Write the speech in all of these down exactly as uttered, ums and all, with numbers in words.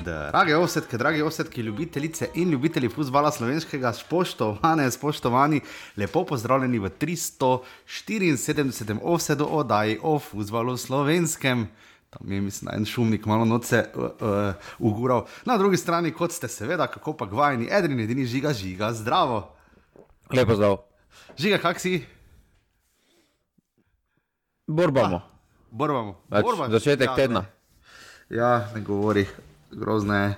Drage ovsetke, dragi ovsetki, ljubitelice in ljubitelji fuzbala slovenskega, spoštovane, spoštovani, lepo pozdravljeni v tristo štiriinsedemdesetem ovsedu oddaji o fuzbalu slovenskem. Tam je, mislim, en šumnik malo noce uh, uh, ugural. Na drugi strani, kot ste seveda, kako pa gvajeni, edrin edini Žiga, Žiga, zdravo. Lepo zdrav. Žiga, kak si? Borbamo. Ah, borbamo. Več, Borba. začetek Ja, tedna. Ne. Ja, ne govori. Grozno je.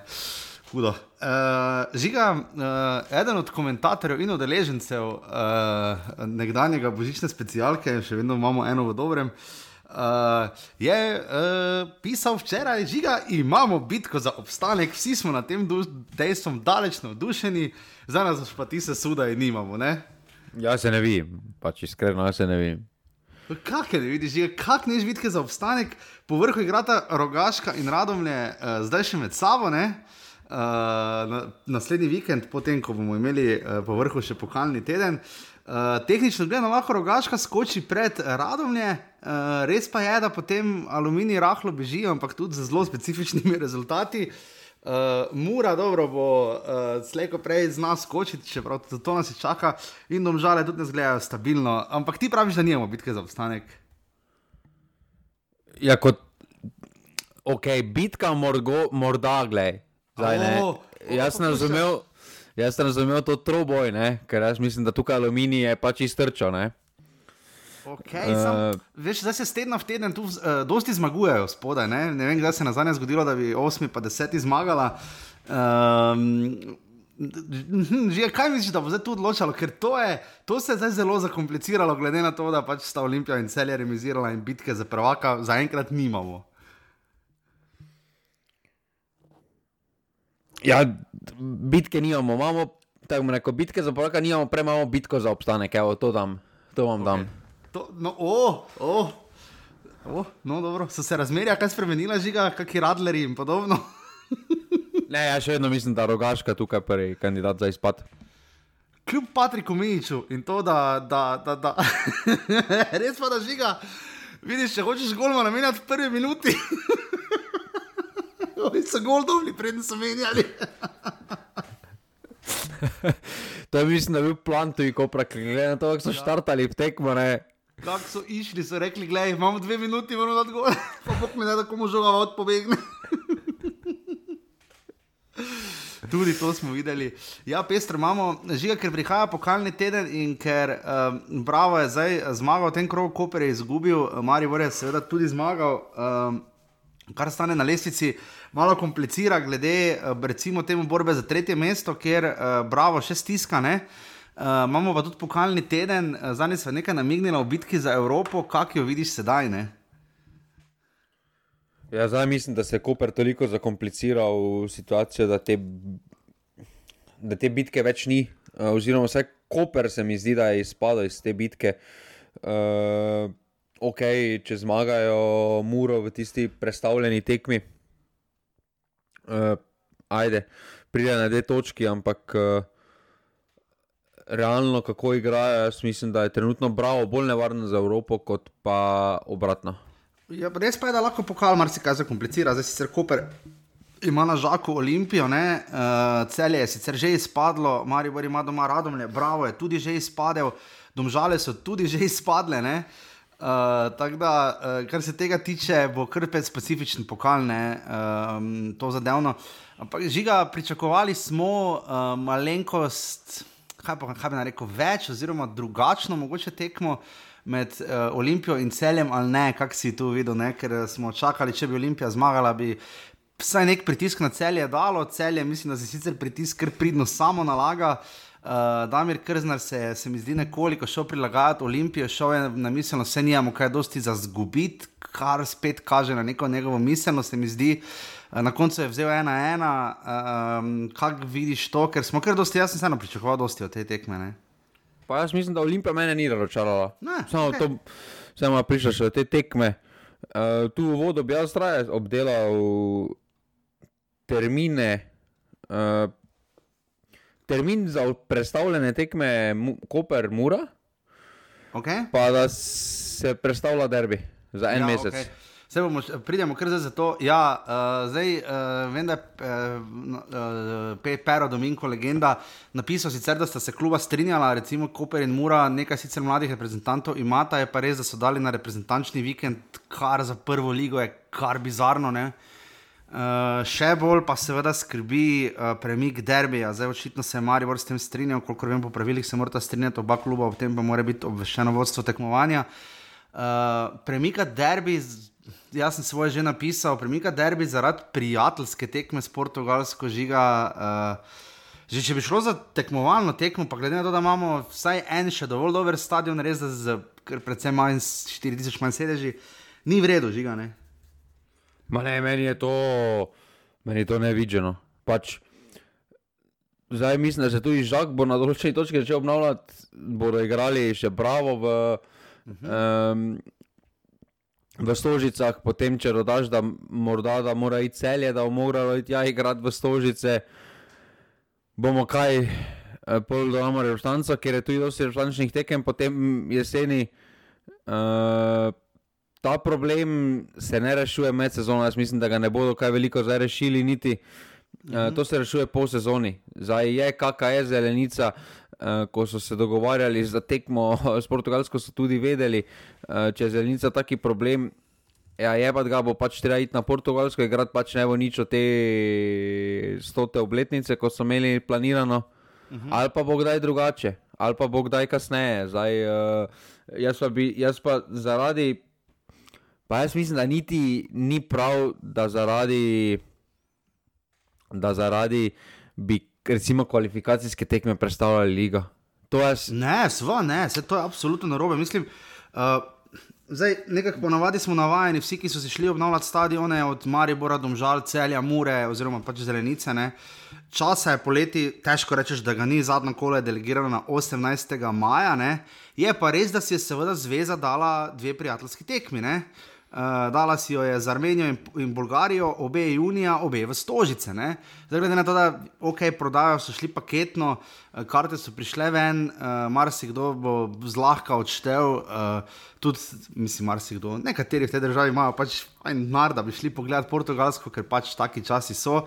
Hudo. Uh, Žiga, uh, eden od komentatorjev in udeležencev uh, nekdanjega božične specialke, še vedno imamo eno v dobrem, uh, je uh, pisal včeraj: Žiga, imamo bitko za obstanek, vsi smo na tem dejstvom daleč navdušeni, za nas pa ti se sudaj nimamo, ne? Ja se ne vidim, pač iskreno ja se ne vidim. Kak je ne vidiš, Žiga, kak neš bitke za obstanek, po vrhu igrata Rogaška in Radomlje uh, zdaj še med sabo, ne? Uh, na, naslednji vikend, potem ko bomo imeli uh, po vrhu še pokalni teden. Uh, tehnično gledano lahko Rogaška skoči pred Radomlje, uh, res pa je, da potem Aluminij rahlo beži, ampak tudi z zelo specifičnimi rezultati. Uh, Mura dobro bo uh, slejko prej zna skočiti, čeprav to nas čaka, in Domžale tudi ne zgledajo stabilno, ampak ti praviš, da nimamo bitke za obstanek. Ja, kot ok, bitka morgo, morda, glej, zdaj ne, Oh, oh, jaz sem razumel, jaz sem razumel to troboj, ne, ker jaz mislim, da tukaj Aluminij je pač iztrčal, ne. Okay, uh, sam, veš, zdaj se z tedna v teden tu uh, dosti zmagujejo spodaj, ne? Ne vem, kdaj se nazadnje zgodilo, da bi osmi pa deseti zmagala. Um, že kaj misliš, da bo zdaj tu odločalo, ker to, je, to se je zdaj zelo zakompliciralo, glede na to, da pač sta Olimpija in Celje remizirala in bitke za prvaka zaenkrat nimamo. Ja, bitke nimamo, imamo, tako mu reko, bitke za prvaka nimamo, prej imamo bitko za obstanek, evo, to dam, to vam dam. Okay. To, no, oh, oh, oh, no, dobro, so se razmerja kaj spremenila, Žiga, kaki radleri in podobno? Ne, ja še vedno mislim, da Rogaška tukaj prvi kandidat za izpad. Kljub Patriku Mijiću in to, da, da, da, da. Res pa da, Žiga, vidiš, če hočeš golma namenjati v prvi minuti. Oni so gol dobili, preden so menjali. To je mislim, da je bil plan tuji Kopra, glede na to, kako so ja. štartali v tekmo, ne. Kako so išli, so rekli, gledaj, imamo dve minuti, moramo dati gol, pa bok mi ne, da komu žoga od pobegne. Tudi to smo videli. Ja, pestro imamo, Žiga, ker prihaja pokalni teden in ker um, Bravo je zdaj zmagal, v tem krogu Koper je izgubil, Maribor je seveda tudi zmagal, um, kar stane na lestvici malo komplicira glede recimo temu borbe za tretje mesto, kjer uh, Bravo še stiska, ne? Uh, imamo pa tudi pokalni teden, zdaj se je nekaj namignila v bitki za Evropo, kak jo vidiš sedaj, ne? Ja, zdaj mislim, da se je Koper toliko zakompliciral situacijo, da te, da te bitke več ni, uh, oziroma vsaj Koper se mi zdi, da je izpadal iz te bitke. Uh, ok, če zmagajo Muro v tisti prestavljeni tekmi, uh, ajde, pride na dve točki, ampak uh, realno, kako igrajo, jaz mislim, da je trenutno Bravo bolj nevarno za Evropo, kot pa obratno. Ja, res pa je, da lahko pokal marsikaj zakomplicira. Zdaj sicer Koper ima na žaku Olimpijo, ne? Uh, Celje je sicer že izpadlo, Maribor ima doma Radomlje, Bravo je tudi že izpadel, Domžale so tudi že izpadle, ne? Uh, tako da, uh, kar se tega tiče, bo kar pet specifičen pokal, ne? Um, to zadevno. Ampak Žiga, pričakovali smo uh, malenkost, kaj pa kaj bi narekel, več oziroma drugačno mogoče tekmo med uh, Olimpijo in Celjem, ali ne, kak si tu videl, ne? Ker smo čakali, če bi Olimpija zmagala, bi vsaj nek pritisk na Celje dalo. Celje, mislim, da se sicer pritisk kar pridno samo nalaga. Uh, Damir Krznar se, se mi zdi nekoliko šel prilagajati Olimpijo, šel je na miselnost, vse nijamo kaj dosti za zgubiti, kar spet kaže na neko njegovo miselnost, se mi zdi. Uh, na koncu je vzel ena ena, um, kak vidiš to, ker smo kar dosti, jaz sem se pričakoval dosti od te tekme, ne? Pa jaz mislim, da Olimpija mene ni razočarala. Samo okay. to, samo prišla še od te tekme. Uh, tu v vodu bi jaz raje obdelal termine, uh, termin za predstavljene tekme Koper-Mura, okay. Pa da se predstavlja derbi za en ja, mesec. Okay. Se bomo, pridemo kar zdaj za to. Ja, uh, zdaj uh, vem, da je uh, uh, Pero Dominko legenda napisal sicer, da sta se kluba strinjala, recimo Koper in Mura, nekaj sicer mladih reprezentantov imata, je pa res, da so dali na reprezentančni vikend, kar za prvo ligo je kar bizarno, ne. Uh, še bolj pa seveda skrbi uh, premik derbija. Zdaj očitno se je Maribor s tem strinjal, kolikor vem po pravilih se morata strinjati oba kluba, ob tem pa mora biti obveščeno vodstvo tekmovanja. Uh, premika derbi, jaz sem svoje že napisal, premika derbi zaradi prijateljske tekme s Portugalsko žiga. Uh, že če bi šlo za tekmovalno tekmo, pa glede na to, da imamo vsaj en še dovolj dober stadion, res da z predvsem manj štiri tisoč manj sedeži, ni v redu žiga, ne? Ma ne, meni je to, meni je to nevidženo. Pač, zdaj mislim, da se tudi Žak bo na določeni točki začel obnavljati, bodo igrali še Bravo v, uh-huh. um, v Stožicah, potem če dodaš, da morda da mora iti Celje, da bo moralo iti ja igrati v Stožice, bomo kaj pol dodamo reprezentanco, ker je tudi dosti reprezentančnih tekem, potem jeseni uh, ta problem se ne rešuje med sezono, jaz mislim, da ga ne bodo kaj veliko zdaj rešili niti. Mm-hmm. Uh, to se rešuje po sezoni. Zdaj je K K S Zelenica, uh, ko so se dogovarjali za tekmo s Portugalsko, so tudi vedeli, uh, če je Zelenica taki problem, ja jebat ga bo pač treba iti na Portugalsko, igrati pač ne bo nič od te stote obletnice, ko so imeli planirano, mm-hmm. ali pa bo kdaj drugače, ali pa bo kdaj kasneje. Zdaj, uh, jaz, pa bi, jaz pa zaradi Pa jaz mislim, da niti ni prav, da zaradi, da zaradi bi recimo kvalifikacijske tekme predstavljali liga. To je... Ne, sva ne, se to je absolutno narobe. Mislim, uh, zdaj nekako ponavadi smo navajeni, vsi, ki so si šli obnavljati stadione od Maribora, Domžal, Celja, Mure oziroma pač Zelenice, ne. Časa je poleti, težko rečeš, da ga ni, zadnjo kolo je delegirano na osemnajstega maja, ne. Je pa res, da si je seveda zveza dala dve prijateljski tekmi, ne. Uh, dala si jo je z Armenijo in, in Bolgarijo, obe junija, obe v Stožice, ne. Zdaj glede na to, da ok, prodajo so šli paketno, karte so prišle ven, uh, marsikdo bo zlahka odštel, uh, tudi, mislim, marsikdo, nekateri v tej državi imajo pač en mar, da bi šli pogledati Portugalsko, ker pač taki časi so.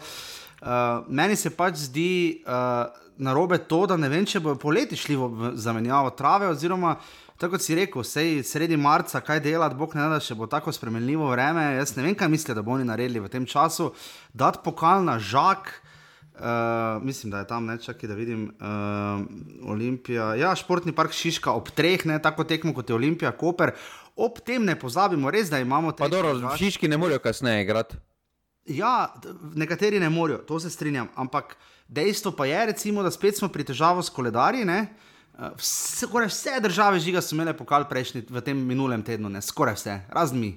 Uh, meni se pač zdi uh, narobe to, da ne vem, če bojo poleti šli v zamenjavo trave, oziroma tako kot si rekel, sej sredi marca, kaj delati, bog ne da, še bo tako spremenljivo vreme, jaz ne vem, kaj mislijo, da bo oni naredili v tem času, dati pokal na Žak, uh, mislim, da je tam, ne, čakaj, da vidim, uh, Olimpija, ja, Športni park Šiška ob treh, ne, tako tekmo kot je Olimpija, Koper, ob tem ne pozabimo, res, da imamo... Pa dobro, v Šiški ne morajo kasneje igrati. Ja, nekateri ne morajo, to se strinjam, ampak dejstvo pa je, recimo, da spet smo pri težavo s koledarji, ne. Vse, skoraj vse države žiga so imele pokal prejšnji v tem minulem tednu, ne, skoraj vse, razen mi.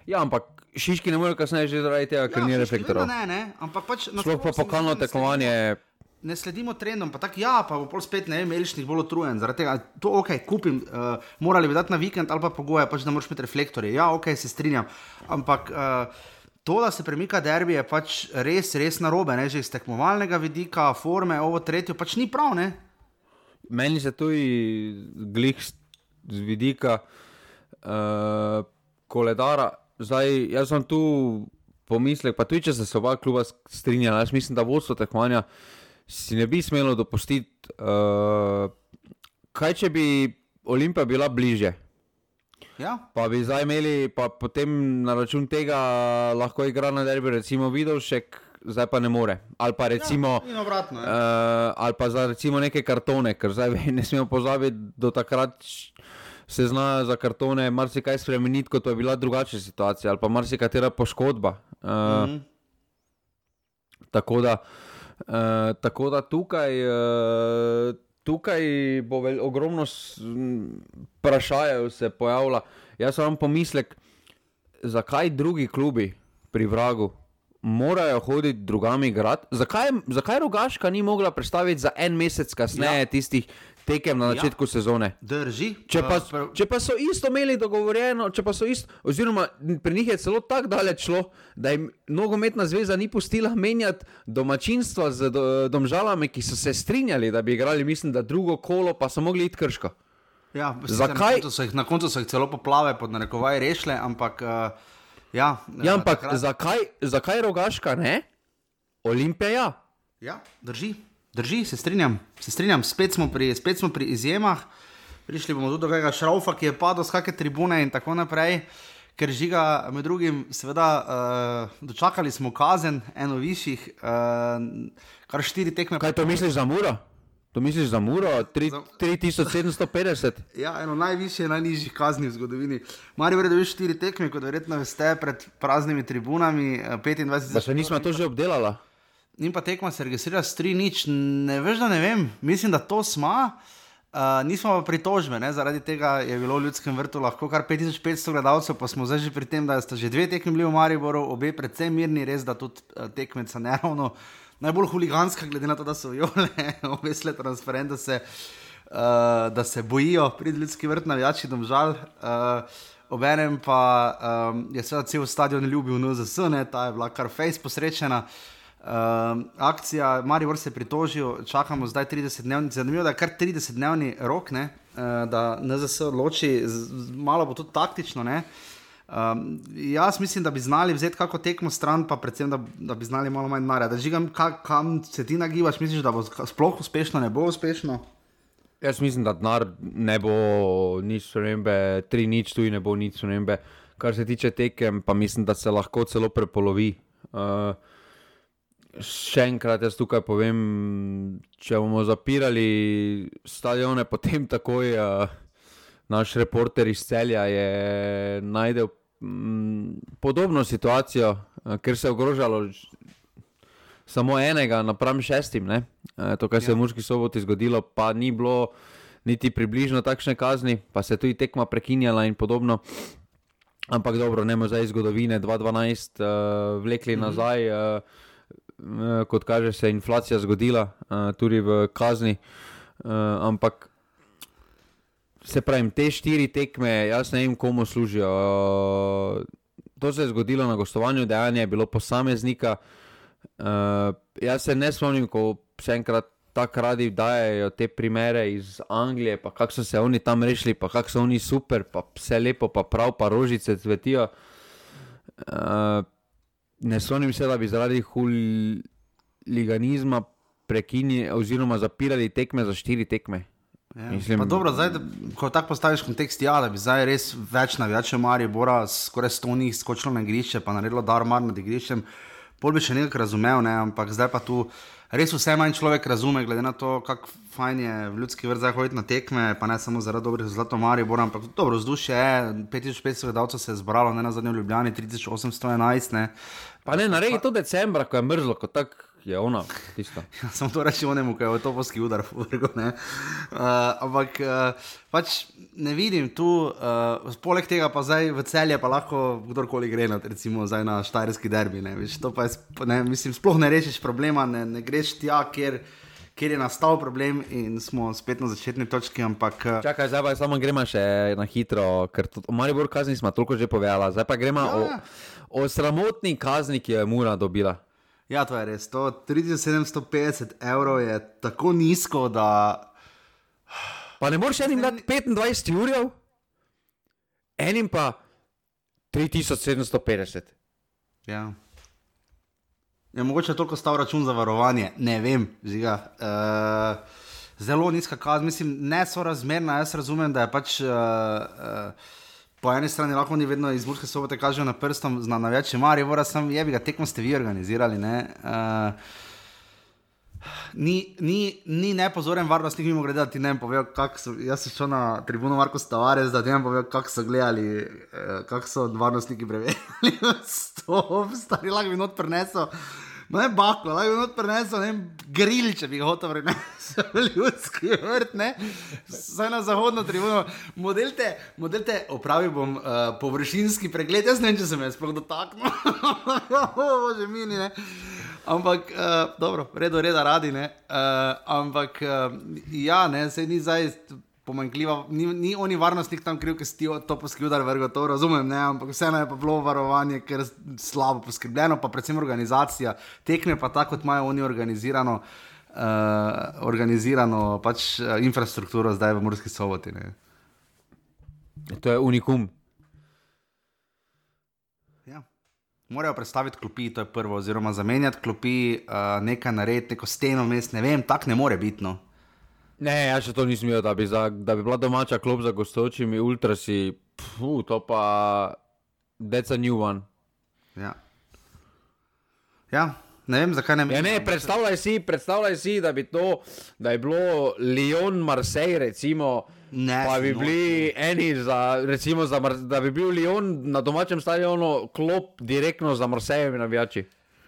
Ja, ampak Šiški ne morajo kasneje že zaradi tega, ker ja, ni reflektorov. Ne, ne, ampak pač... Sploh pa pokalno tekmovanje... Ne sledimo trendom, pa tako ja, pa bo pol spet, ne vem, Elišnik bolj otrujen, zaradi tega, to ok, kupim, uh, morali bi dati na vikend ali pa pogoje, pač da moraš imeti reflektorje, ja, ok, se strinjam, ampak... Uh, To, da se premika derbi, je pač res, res narobe, ne, že iz tekmovalnega vidika, forme, ovo tretjo, pač ni prav, ne. Meni se tudi glih z vidika uh, koledara, zdaj, jaz sem tu pomislek, pa tudi, če se se oba kluba strinjala, jaz mislim, da vodstvo tekmovanja si ne bi smelo dopustiti, uh, kaj če bi Olimpija bila bliže. Ja. Pa bi zdaj imeli, pa potem na račun tega lahko igra na derbi, recimo Vidovšek, zdaj pa ne more. Ali pa recimo, ja, obratno, ja. uh, ali pa za recimo neke kartone, ker zdaj ne smemo pozabiti, do takrat se zna za kartone marsikaj spremeniti, kot je bila drugačna situacija, ali pa marsikatera poškodba. Uh, mm-hmm. Tako da, uh, tako da tukaj... Uh, Tukaj bo vel, ogromno vprašajev se pojavila. Jaz sem pomislek, zakaj drugi klubi pri Vragu morajo hoditi drugami igrati? Zakaj, zakaj Rogaška ni mogla predstaviti za en mesec kasneje ja. tistih tekem na začetku ja. sezone? Drži. Če pa, če pa so isto imeli dogovorjeno, če pa so isto, oziroma pri njih je celo tako daleč šlo, da jim nogometna zveza ni pustila menjati domačinstva z do, Domžalami, ki so se strinjali, da bi igrali, mislim, da drugo kolo, pa so mogli iti Krško. Ja, zakaj? Na koncu, so jih, na koncu so jih celo poplave pod narekovaj rešile, ampak uh, ja. Ja, ampak takrat... zakaj, zakaj Rogaška, ne? Olimpija, ja. Ja, drži, drži, se strinjam, se strinjam, spet smo pri, spet smo pri izjemah, prišli bomo tudi do tega Šraufa, ki je padel z kakšne tribune in tako naprej, ker Žiga med drugim, seveda, uh, dočakali smo kazen, eno višjih, uh, kar štiri tekme. Kaj to misliš za Muro? To misliš za Muro? tri tisoč sedemsto petdeset? Ja, eno najvišje, najnižjih kazni v zgodovini. Maribor je dobil štiri tekme, kot verjetno veste, pred praznimi tribunami, petindvajset. Da se nismo to že obdelala? In pa tekma se registrira s tri nič, ne veš, da ne vem, mislim, da to sma. Uh, nismo pa pritožbe, ne? Zaradi tega je bilo v Ljudskem vrtu lahko kar pet tisoč petsto gledalcev, pa smo zdaj že pri tem, da sta že dve tekmi bili v Mariboru, obe predvsem mirni, res da tudi uh, tekmeca neravno najbolj huliganska, glede na to, da so viole, obesle transparent, da se, uh, da se bojijo pred Ljudski vrt navijači Domžal. Uh, obenem pa um, je seveda cel stadion ljubil N Z S, ne? Ta je bila kar fejs posrečena. Uh, akcija, Maribor se je pritožil, čakamo zdaj trideset dnevni, zanimivo, da je kar trideset dnevni rok, ne, uh, da N Z S odloči, z, z, malo bo tudi taktično, ne. Um, jaz mislim, da bi znali vzeti kako tekmo stran, pa predvsem, da, da bi znali malo manj denarja. Da žigam, ka, kam se ti nagibaš, misliš, da bo sploh uspešno, ne bo uspešno? Jaz mislim, da denar ne bo nič spremembe, tri nič tu in ne bo nič spremembe. Kar se tiče tekem, pa mislim, da se lahko celo prepolovi. Uh, Še enkrat jaz tukaj povem, če bomo zapirali stadione, potem takoj uh, naš reporter iz Celja je najdel m, podobno situacijo, uh, ker se je ogrožalo samo enega napram šestim, ne? Uh, to, kar se je v Murski Soboti zgodilo, pa ni bilo niti približno takšne kazni, pa se je tudi tekma prekinjala in podobno. Ampak dobro, ne bomo zdaj iz zgodovine dva dvanajst uh, vlekli mm-hmm. nazaj, uh, kot kaže se inflacija zgodila uh, tudi v kazni, uh, ampak se pravim, te štiri tekme, jaz ne vem komu služijo. Uh, to se je zgodilo na gostovanju, dejanje je bilo posameznika. Uh, jaz se ne spomnim, ko še enkrat tako radi dajejo te primere iz Anglije, pa kako so se oni tam rešili, pa kako so oni super, pa vse lepo, pa prav, pa rožice cvetijo. Uh, Ne spomnim se, da bi zaradi huliganizma prekinili oziroma zapirali tekme za štiri tekme. Ja. Mislim, pa dobro, zdaj, da, ko tako postaviš kontekst, ja, da bi zdaj res več navijačev Maribora skoraj sto njih skočilo na igrišče, pa naredilo darmar nad igriščem, pol bi še nekako razumel, ne, ampak zdaj pa tu res vse manj človek razume, glede na to, kako fajn je v Ljudski vrt zdaj hoditi na tekme, pa ne samo zaradi dobrih rezultatov Maribora, ampak dobro vzdušje je, pet tisoč petsto gledalcev se je zbralo, ne na zadnjem v Ljubljani, tri tisoč osemsto enajst, ne. Pa ne, naredi to decembra, ko je mrzlo, ko tak je ona tisto. Ja, samo to reči onemu, ko je v topovski udar v vrgu, ne. Uh, ampak uh, pač ne vidim tu, uh, poleg tega pa zdaj v Celje pa lahko kdorkoli gre na, recimo zdaj na štajerski derbi, ne, viš, to pa je, ne, mislim, sploh ne rešiš problema, ne, ne greš tja, kjer, kjer je nastal problem in smo spet na začetni točki, ampak... Uh, Čakaj, zdaj pa samo gremo še na hitro, ker to, o Maribor kazni smo toliko že povedala, zdaj pa gremo ja, o, o sramotni kazni, ki jo je Mura dobila. Ja, to je res. To tri tisoč sedemsto petdeset evrov je tako nizko, da... Pa ne moreš enim dati petindvajset jurjev? Enim pa tri tisoč sedemsto petdeset. Ja. Je mogoče toliko stal račun za varovanje? Ne vem, žiga. Uh, zelo nizka kazen, mislim, ne sorazmerna. Jaz razumem, da je pač... Uh, uh, Po eni strani lahko ni vedno iz Murske Sobote kažejo na prstom na navijače Maribora, sem jebi ga, tekmo ste vi organizirali, ne. Uh, ni, ni, ni nepozoren varnostnik, mimo gledati, ne vem povedal, kako so, jaz sem šel na tribuno Marko Tavares, da ne vem povedal, kako so gledali, uh, kako so varnostniki preverjali, stop, stari, lahko bi not prinesel, no ne baklo, lahko bi not prinesel, ne vem, grill, če bi ga hotel prinesel v Ljudski vrt, ne, saj na zahodno tribuno, model te, model te, opravil bom uh, površinski pregled, jaz ne vem, če sem jaz sploh dotaknil, bože mini, ne, ampak, uh, dobro, redo reda radi, ne, uh, ampak, uh, ja, ne, sej ni zdaj pomanjkljiva, ni, ni oni varnostnik tam kriv, ki si ti topovski udar vrgo, to razumem, ne, ampak vseeno je pa bilo varovanje, ker slabo poskrbljeno, pa predvsem organizacija, tekme pa tako, kot imajo oni organizirano, uh, organizirano pač uh, infrastrukturo zdaj v Murski Soboti, ne. To je unikum. Ja. Morajo predstaviti klopi, to je prvo, oziroma zamenjati klopi, uh, nekaj narediti, neko steno mest, ne vem, tak ne more biti, no. Ne, jaz še to nisem imel, da bi, za, da bi bila domača klop za gostujočimi ultrasi, pfu, to pa, that's a new one. Ja. Ja, ne vem, zakaj ne... Ja, ne, predstavljaj si, predstavljaj si, da bi to, da je bilo Lyon-Marseille, recimo, ne, pa bi no, bili eni za, recimo, za, da bi bil Lyon na domačem stadionu klop direktno za Marseillevi navijači.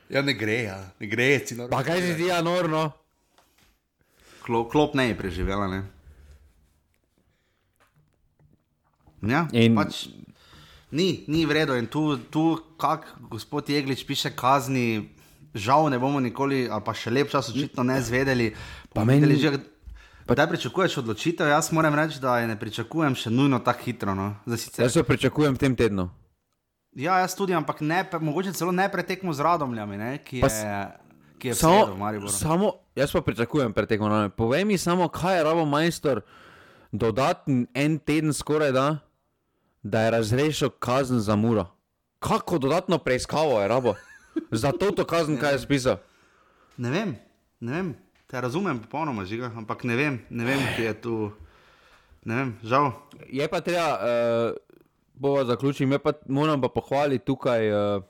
Ja, ne gre, ja, ne gre. Pa kaj si ti, ja, norno? Klop, klop ne je preživela, ne. Ja, in... pač ni, ni vredo in tu, tu kak gospod Jeglič piše kazni, žal ne bomo nikoli, ali pa še lep čas očitno ne zvedeli. Pa meni... že, pa daj pričakuješ odločitev, jaz moram reči, da je ne pričakujem še nujno tako hitro, no. Sicer... Jaz jo pričakujem v tem tednu. Ja, jaz tudi, ampak ne, mogoče celo ne pretekmo z Radomljami, ne, ki je... Pa... ki je samo, v Mariboru. Samo, jaz pa pričakujem pretekmo. Povej mi samo, kaj je rabo majstor dodaten en teden skoraj da, da je razrešil kazen za Muro. Kako dodatno preiskavo je rabo? Za to to kazen, kaj je spisal? Ne vem, ne vem. Te razumem popolnoma, Žiga, ampak ne vem, ne vem, ki je tu, ne vem, žal. Je pa treba, uh, bova zaključim, je pa, moram pa pohvaliti tukaj uh,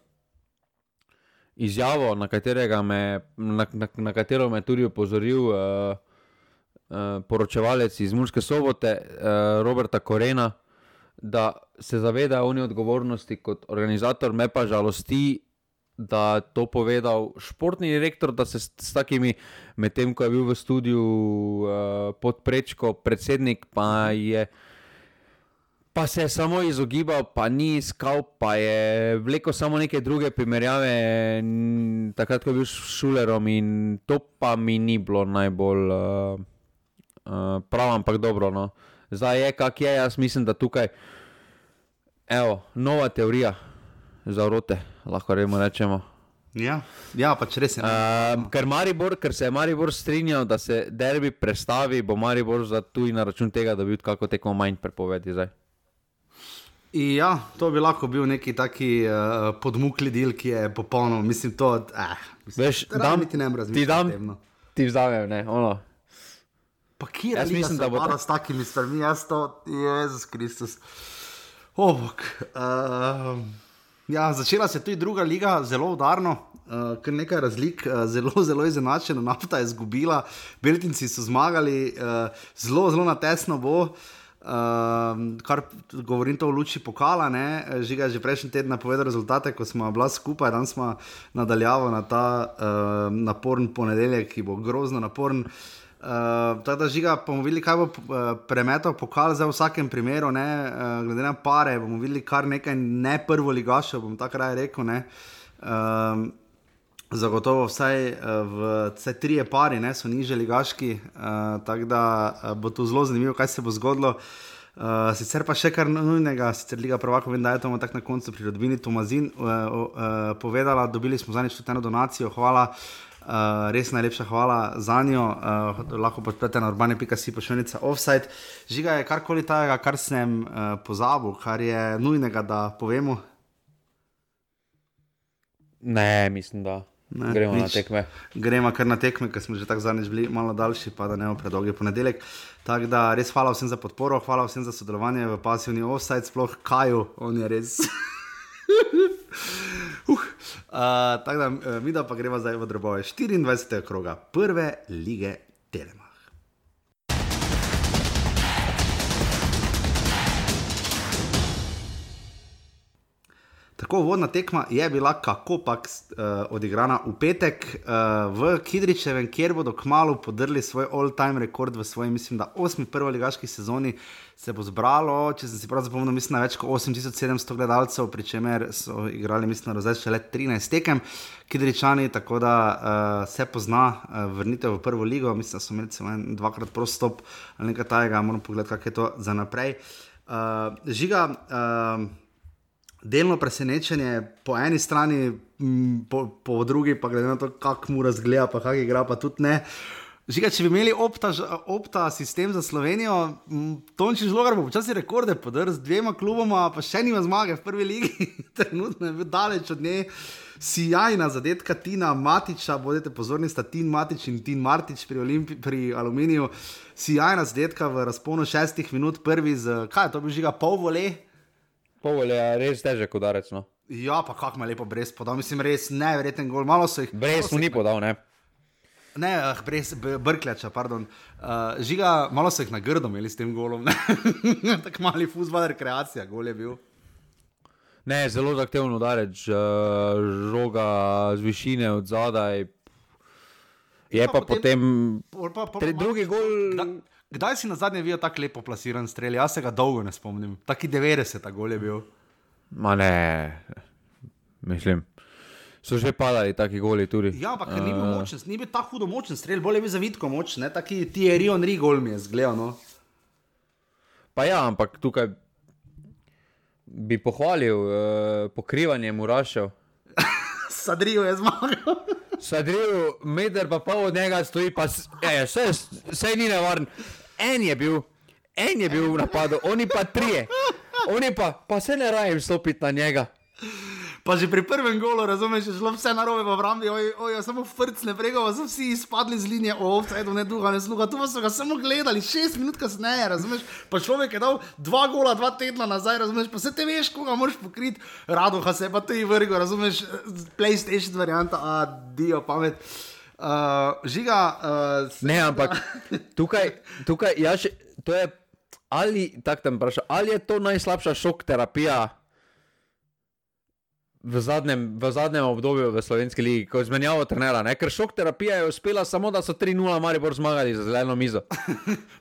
izjavo, na katerega me, na, na, na katero me tudi upozoril uh, uh, poročevalec iz Murske Sobote, uh, Roberta Korena, da se zaveda oni odgovornosti kot organizator, me pa žalosti, da to povedal športni direktor, da se s, s takimi, med tem, ko je bil v studiu uh, pod prečko predsednik, pa je pa se je samo izogibal, pa ni iskal, pa je vlekel samo neke druge primerjave n, takrat, ko je bil s Šulerom in to pa mi ni bilo najbolj uh, uh, prav, ampak dobro, no. Zdaj je, kak je, jaz mislim, da tukaj evo, nova teorija za vrote, lahko remo rečemo. Ja, ja, pač res je. Uh, ker, Maribor, ker se je Maribor strinjal, da se derbi prestavi, bo Maribor za tuj na račun tega, da bi kako tekmo manj prepovedi zdaj. Ja, to bi lahko bil neki taki uh, podmukli del, ki je popolno, mislim to, eh, mislim, veš, dam, ti ne ti dam, temno. Ti vzamem, ne, ono. Pa kjer mislim, da bo ta s takimi stvarmi, jaz to, Jezus Kristus. Oh, uh, ja, začela se tudi druga liga, zelo udarno, uh, kar nekaj razlik, uh, zelo, zelo izenačeno, Nafta je izgubila, Beltinci so zmagali, uh, zelo, zelo natesno bo. Uh, kar govorim to v luči pokala, ne? Žiga je že prejšnji teden napovedal rezultate, ko smo bila skupaj, danes smo nadaljavo na ta uh, naporen ponedeljek, ki bo grozno naporen. Uh, tako da Žiga, bomo videli, kaj bo uh, premetal pokal za v vsakem primeru, ne? Uh, glede na pare, bomo videli kar nekaj ne prvo ligašev, bom tako raje rekel, ne? Uh, zagotovo vsaj v vsaj trije pari, ne, so niže ligaški, uh, tako da uh, bo to zelo zanimivo, kaj se bo zgodilo. Uh, sicer pa še kar nujnega, sicer Liga prvakov, vem, da je to tako na koncu pri rodbini Tomazin uh, uh, povedala, dobili smo zadnjič tudi eno donacijo, hvala, uh, res najlepša hvala za njo, uh, lahko podprete na urbane pika si pošiljnica offside. Žiga, je karkoli tajega, kar sem uh, pozabil, kar je nujnega, da povemo? Ne, mislim, da ne, gremo nič. Na tekme. Gremo kar na tekme, ker smo že tako zadnjič bili malo daljši, pa da ne bo predolgi ponedeljek. Tako da res hvala vsem za podporo, hvala vsem za sodelovanje v pasivni offside, sploh Kaju, on je res. uh, uh, tako da mi da pa greva zdaj v drobove štiriindvajsetega kroga prve lige Telemach. Tako vodna tekma je bila kakopak uh, odigrana v petek uh, v Kidričevem, kjer bodo kmalu podrli svoj all-time rekord v svoji, mislim, da osmi prvoligaški sezoni se bo zbralo, če sem si prav zapomnil, mislim, na več kot osem tisoč sedemsto gledalcev, pri čemer so igrali, mislim, na zdaj še le trinajst tekem Kidričani, tako da uh, se pozna uh, vrnitev v prvo ligo, mislim, da so imeli celo dvakrat prost stop ali nekaj tajega, moram pogledati, kak je to za naprej. Uh, žiga, uh, delno presenečenje po eni strani, po, po drugi pa glede na to, kak mu razgleda, pa kak igra, pa tudi ne. Žiga, če bi imeli opta, opta sistem za Slovenijo, Tonči Žlogar bo počasi rekorde podrl z dvema kluboma, pa še nima zmage v prvi ligi. Trenutno je bil daleč od nje. Sijajna zadetka Tina Matiča, bodite pozorni, sta Tin Matič in Tin Martič pri, Olimpi, pri Aluminiju. Sijajna zadetka v razponu šestih minut, prvi z, kaj je to bil Žiga, pol vole? Pol vole, je res težek udarec, no. Ja, pa kak me lepo Brest podal, mislim, res neverjeten gol. Malo so jih... Brest mu ni podal, ne? Ne, ah, Brest, Brkljača, pardon. Uh, žiga, malo so jih na grdo imeli s tem golom, ne? Tak mali fuzbal, rekreacija, gol je bil. Ne, zelo zahteven udarec, uh, žoga z višine od zadaj. Je pa, pa potem... potem pa, pa, pa, drugi gol... Kdaj, kdaj si na zadnje videl tako lepo plasiran strel? Jaz se ga dolgo ne spomnim. Taki devetdeseta gol je bil. Ma ne, mislim, so že padali taki goli tudi. Ja, ampak uh, ni bil močen, ni bil tako hudo močen strel, bolj je bil zavitko močen, ne, taki Thierry Henry gol mi je zgledal, no. Pa ja, ampak tukaj bi pohvalil uh, pokrivanje Murašev. Sadrijo je zmagal. Sadrijo, meter pa pol od njega stoji, pa vse ni nevaren. En je bil, en je bil v napadu, oni pa trije. Oni pa, pa se ne rajem stopiti na njega. Pa že pri prvem golu, razumeš, je šlo vse narobe v obrambi, oj, oj, samo frcne prega, so vsi izpadli z linije, o, offside, ne duha, ne sluha, tu pa so ga samo gledali, šest minut kasneje, razumeš, pa človek je dal dva gola, dva tedna nazaj, razumeš, pa se te veš, koga moraš pokriti, Radoha se je pa tudi vrgo, razumeš, PlayStation varianta, a, dio, pamet. Uh, žiga... Uh, ne, ampak tukaj, tukaj, ja še, to je... Ali, tak tam vprašam, ali je to najslabša šok terapija v zadnjem, v zadnjem obdobju v slovenski ligi, ko je zmenjavo trenera, ne? Ker šok terapija je uspela samo, da so tri nula Maribor zmagali za zeleno mizo.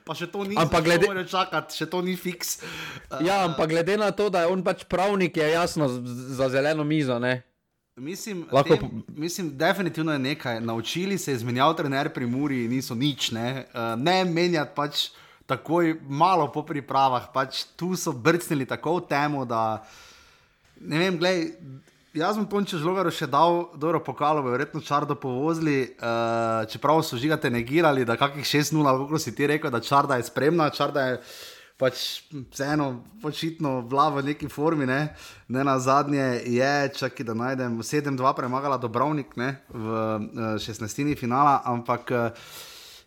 Pa še to ni, ampak glede... morajo čakati, še to ni fiks. Uh, ja, ampak glede na to, da je on pač pravnik, je jasno za zeleno mizo, ne? Mislim, Lahko... tem, mislim, definitivno je nekaj. Naučili se je zmenjav trener pri Muri, niso nič, ne? Uh, ne menjati pač takoj malo po pripravah, pač tu so brcnili tako v temu, da ne vem, glej, jaz bom Tonči Žlogaru še dal dobro pokalo, verjetno Čardo povozili, uh, čeprav so žigate negirali, da kakih šest nula, kako si ti rekel, da Čarda je spremna, Čarda je pač vseeno počitno vla v neki formi, ne, ne na zadnje je, čaki da najdem, sedem dva premagala Dobrovnik, ne, v uh, šestnajstini finala, ampak uh,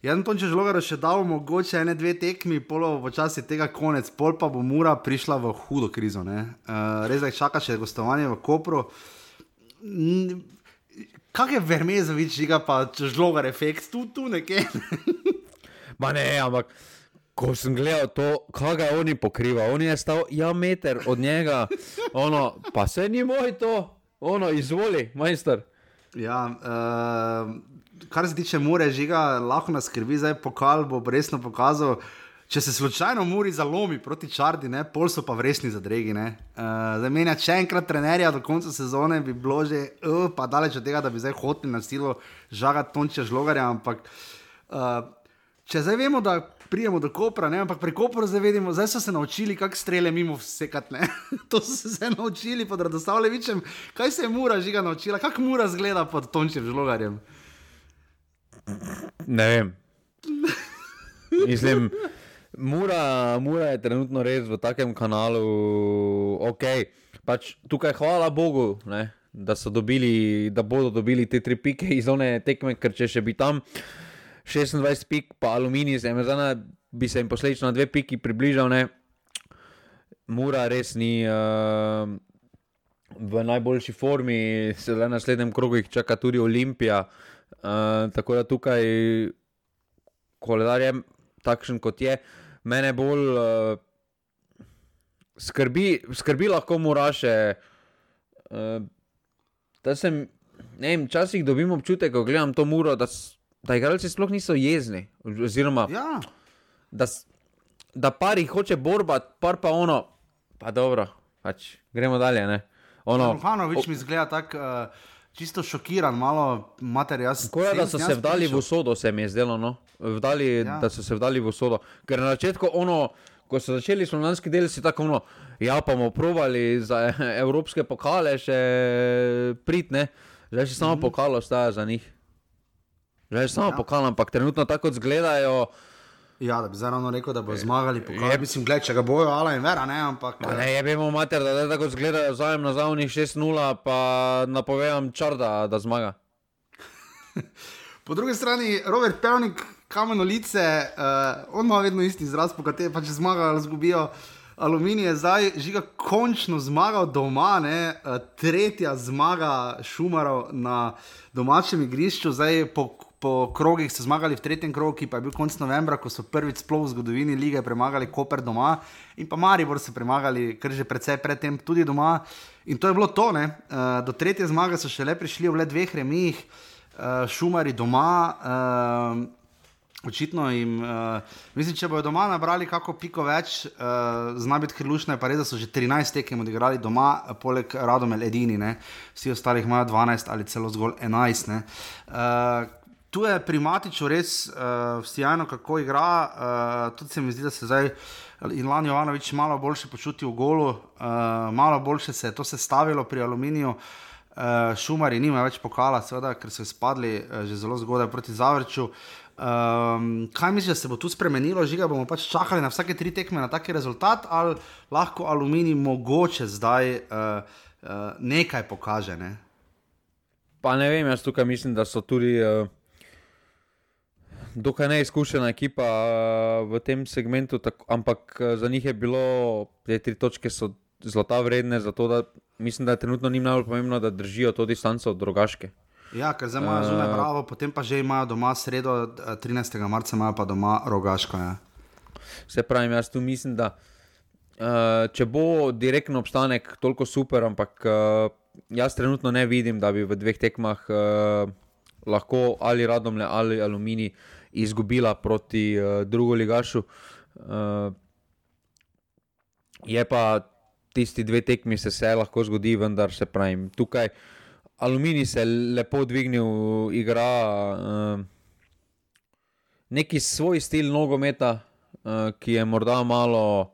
jaz bom Tonči Žlogaru še dal mogoče ene dve tekmi, polo počasi tega konec, pol pa bo Mura prišla v hudo krizo, ne. Uh, res da jih čaka še gostovanje v Kopru. Kak je Vermezovič, žiga pa Žlogar efekt, tu, tu nekje. Ma ne, ampak ko sem gledal to, kaj ga oni pokriva, on je stal, ja, meter od njega, ono, pa se ni moj to, ono, izvoli, majster. Ja, uh, kar se tiče Mure, žiga, lahko nas skrbi, zdaj pokal bo resno pokazal, če se slučajno Muri zalomi proti Čardi, ne, pol so pa v resni zadregi, ne. Uh, zdaj menjati še enkrat trenerja do konca sezone bi bilo že, uh, pa daleč od tega, da bi zdaj hoteli na silo žagati Tončija Žlogarja, ampak uh, če zdaj vemo, da prijemo do Kopra, ne, ampak pri Kopru zdaj vedimo, zdaj so se naučili, kak strele mimo vsekati, ne. To so se zdaj naučili pod Radoslavljevičem. Kaj se je Mura, žiga, naučila? Kak Mura zgleda pod Tončijem Žlogarjem? Ne vem. Mislim, Mura, Mura je trenutno res v takem kanalu, ok, pač tukaj hvala Bogu, ne, da so dobili, da bodo dobili te tri pike iz one tekme, ker če še bi tam šestindvajset pik, pa Aluminij z Emezana bi se jim posledično na dve piki približal, ne. Mura res ni uh, v najboljši formi, se le na naslednjem krogu jih čaka tudi Olimpija, uh, tako da tukaj koledar je takšen kot je, mene bolj uh, skrbi, skrbi lahko Muraše, uh, da sem, ne vem, časih dobim občutek, ko gledam to Muro, da da igralci sploh niso jezni, oziroma, ja. da, da par jih hoče borba, par pa ono, pa dobro, pač, gremo dalje, ne. Ono, Ruhanovič mi zgleda tak uh, čisto šokiran, malo mater, jaz... Tako je, da so se vdali v usodo, se mi je zdelo, no, vdali, ja. da so se vdali v usodo, ker na začetku ono, ko so začeli slonjanski del, si tako ono, ja, pa bomo probali za evropske pokale še prit, ne, zdaj še samo mm-hmm. pokalo staja za njih. Že samo ja. Pokal, ampak trenutno tako zgledajo. Ja, da bi zdaj ravno rekel, da bo zmagali pokal. Mislim, gled, če ga bojo Ala in Vera, ne, ampak... Ma ne, jebimo mater, da ne tako zgledajo zajem na zavnih šest nula, pa napovedam Čarda, da zmaga. Po drugi strani, Robert Pevnik, Kamenolice, uh, on ima vedno isti izraz, po kateri pa če zmagajo ali zgubijo. Aluminij je zdaj Žiga končno zmagal doma, ne? Tretja zmaga Šumarov na domačem igrišču, zdaj po, po krogih so zmagali v tretjem krogu, ki pa je bil konec novembra, ko so prvič sploh v zgodovini lige premagali Koper doma in pa Maribor so premagali, kar že precej predtem tudi doma in to je bilo to, ne? Do tretje zmage so šele prišli v le dveh remijih, Šumari doma, očitno jim, uh, mislim, če bojo doma nabrali kako piko več, uh, zna biti krlušno, je pa res, da so že trinajst tekem odigrali doma, poleg Radomel edini, ne, vsi ostalih imajo dvanajst ali celo zgolj enajst, ne. Uh, tu je pri Matiču res uh, vsijajno, kako igra, uh, tudi se mi zdi, da se zdaj Ilan Jovanović malo boljše počuti v golu, uh, malo boljše se je to sestavilo pri Aluminiju, uh, Šumari nima več pokala, seveda, ker so izpadli uh, že zelo zgodaj proti Zavrču. Um, kaj misliš, da se bo tu spremenilo, Žiga, bomo pač čakali na vsake tri tekme na taki rezultat, ali lahko Aluminij mogoče zdaj uh, uh, nekaj pokaže, ne? Pa ne vem, jaz tukaj mislim, da so tudi uh, dokaj neizkušena ekipa uh, v tem segmentu, tako, ampak uh, za njih je bilo, te tri točke so zlata vredne, zato da mislim, da je trenutno njim najbolj pomembno, da držijo to distanco od Rogaške. Ja, ker zdaj imajo zunaj Bravo, potem pa že imajo doma sredo, trinajstega marca imajo pa doma Rogaško. Ja. Se pravim, jaz tu mislim, da uh, če bo direktno obstanek toliko super, ampak uh, jaz trenutno ne vidim, da bi v dveh tekmah uh, lahko ali Radomlje ali Aluminij izgubila proti uh, drugoligašu. Uh, je pa tisti dve tekmi se se lahko zgodi, vendar se pravim, tukaj Aluminij se lepo dvignil, igra uh, neki svoj stil nogometa, uh, ki je morda malo,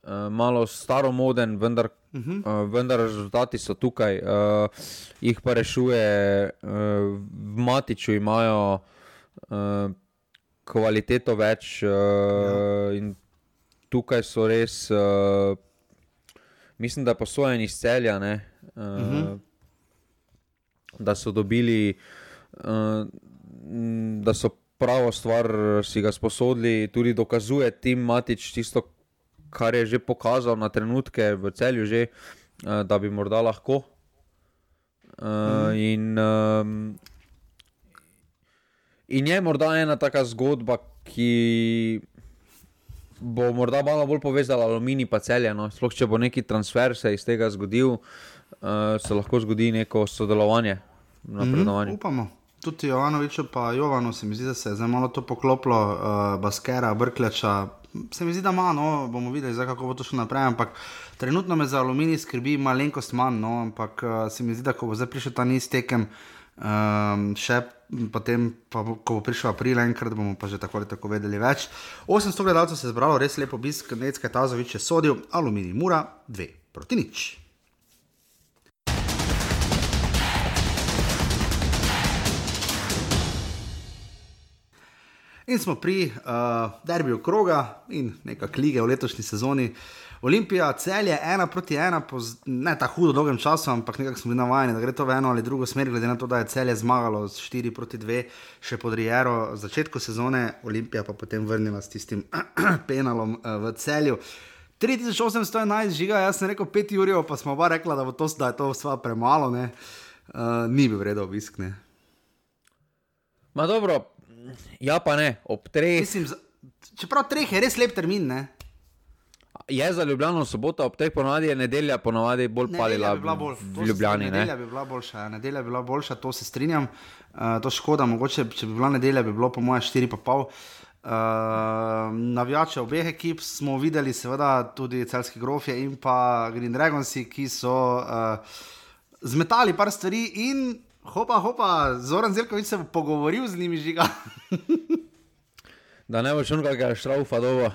uh, malo staromoden, vendar, uh-huh. uh, vendar rezultati so tukaj. Uh, jih pa rešuje, uh, v Matiču imajo uh, kvaliteto več uh, ja. In tukaj so res, uh, mislim, da posojeni iz Celja, ne? Uh, uh-huh. Da so dobili, uh, da so pravo stvar si ga sposodili, tudi dokazuje Tim Matič tisto, kar je že pokazal na trenutke v Celju že, uh, da bi morda lahko. Uh, mm. in, um, in je morda ena taka zgodba, ki bo morda malo bolj povezala Aluminij pa Celje, no? Sploh če bo neki transfer se iz tega zgodil, uh, se lahko zgodi neko sodelovanje. Mm, upamo. Tudi Jovanoviću pa Jovanu se mi zdi, da se je zdaj malo to poklopilo, uh, Baskera, Brkljača, se mi zdi, da ima, no, bomo videli zdaj, kako bo to šlo naprej, ampak trenutno me za Aluminij skrbi malenkost manj, no, ampak uh, se mi zdi, da ko bo zdaj prišel ta niz tekem, um, še potem, pa, ko bo prišel april enkrat, bomo pa že tako ali tako vedeli več. osemsto gledalcev se je zbralo, res lepo obisk, Necka Tazović je sodil, Aluminij Mura dve proti nič. In smo pri uh, derbiju kroga in nekak lige v letošnji sezoni. Olimpija, Celje, ena proti ena, po ne tako hudo dolgem času, ampak nekako smo bili navajeni, da gre to v eno ali drugo smer, glede na to, da je Celje zmagalo s štiri proti dve še pod Riero v začetku sezone, Olimpija pa potem vrnila s tistim penalom uh, v Celju. tri tisoč osemsto enajst, Žiga, jaz sem rekel pet jurjev, pa smo oba rekla, da, bo to, da je to sva premalo, ne. Uh, ni bil vredo obisk, ne. Ma dobro, ja pa ne, ob treh. Mislim, čeprav treh je res lep termin, ne? Je za Ljubljano sobota, ob treh ponovadi je nedelja, ponovadi bolj palila bi bolj, v Ljubljani, ne? Nedelja bi bila boljša, nedelja bi bila boljša, to se strinjam. Uh, to škoda, mogoče, če bi bila nedelja, bi bilo po moje štiri pa pol. Uh, navijače obeh ekip smo videli, seveda tudi Celjski Grofje in pa Green Dragonsi, ki so uh, zmetali par stvari in hopa, hopa, Zoran Zelković se bo pogovoril z njimi, Žiga. Da ne bo šel kakega štraufa dobo.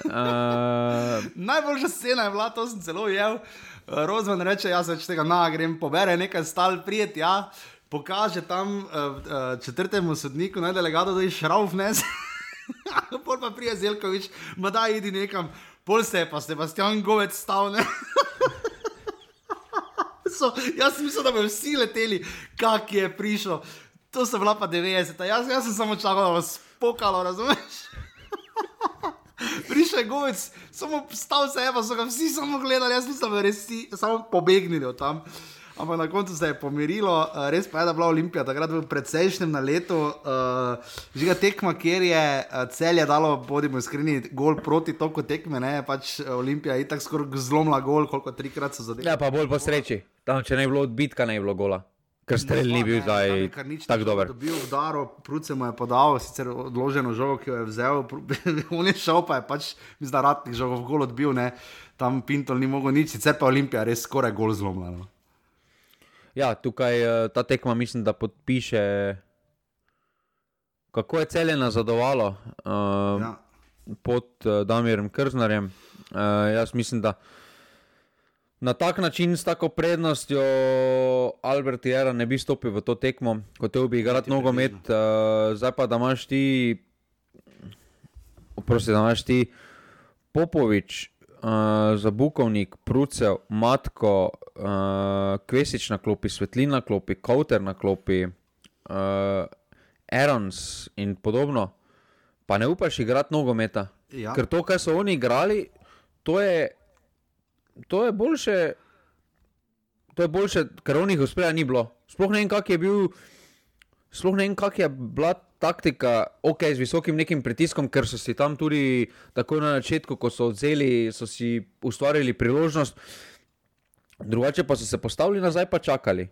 uh... Najboljša scena je bila, to sem celo ujel. Rozman reče, jaz več tega, na, grem pobere nekaj stal prijet, ja. pokaže tam uh, uh, četrtemu sodniku, naj delegado, da je šrauf vnese. Pol pa prije Zelkovič, ma da idi nekam, pol se je pa Sebastian Govec stal, ne. So, jaz sem mislil, da bi vsi leteli, kak je prišel. To so bila pa devetdeseta. Jaz, jaz sem samo čakal, da vas pokalo, razumeš? Prišel je Govec, samo stal se je, pa so ga vsi samo gledali, jaz mislim, da bi res vsi samo pobegnili od tam. Ampak na koncu se je pomirilo, res pa je, da bila Olimpija takrat v predsejšnjem naletu, uh, žiga tekma, kjer je Celje dalo, bodimo iskreni, gol proti toku tekme, ne, pač Olimpija je itak skoraj zlomila gol, koliko trikrat so zadeli. Ja, pa bolj po sreči, tam če ne je bilo odbitka, ne je bilo gola, ker strel ni bil zdaj tak dober. Dobil vdaro, Pruce mu je podal, sicer odloženo žogo, ki jo je vzel, on je šel, pa je pač, mislim, da Ratnik žogo v gol odbil, ne, tam Pintol ni mogel nič, sicer pa Olimpija res skoraj gol zlomila, no. Ja, tukaj ta tekma mislim, da podpiše, kako je Celje nazadovalo uh, ja. pod uh, Damirjem Krznarjem. Uh, jaz mislim, da na tak način s tako prednostjo Albert Jera ne bi stopil v to tekmo, kot te bi igrati nogomet. Uh, zdaj pa, da imaš ti, oprosti, da imaš ti Popovič, Uh, Zabukovnik, Prucev, Matko, uh, Kvesič na klopi, Svetlin na klopi, Kauter na klopi, uh, Erons in podobno, pa ne upaš igrati nogometa. Ja. Ker to, kaj so oni igrali, to je, to je boljše, to je boljše, ker onih uspreja ni bilo. Sploh ne vem, kak je bil, sploh ne vem, kak je bila taktika, ok, z visokim nekim pritiskom, ker so si tam tudi takoj na začetku, ko so odzeli, so si ustvarili priložnost, drugače pa so se postavili nazaj pa čakali.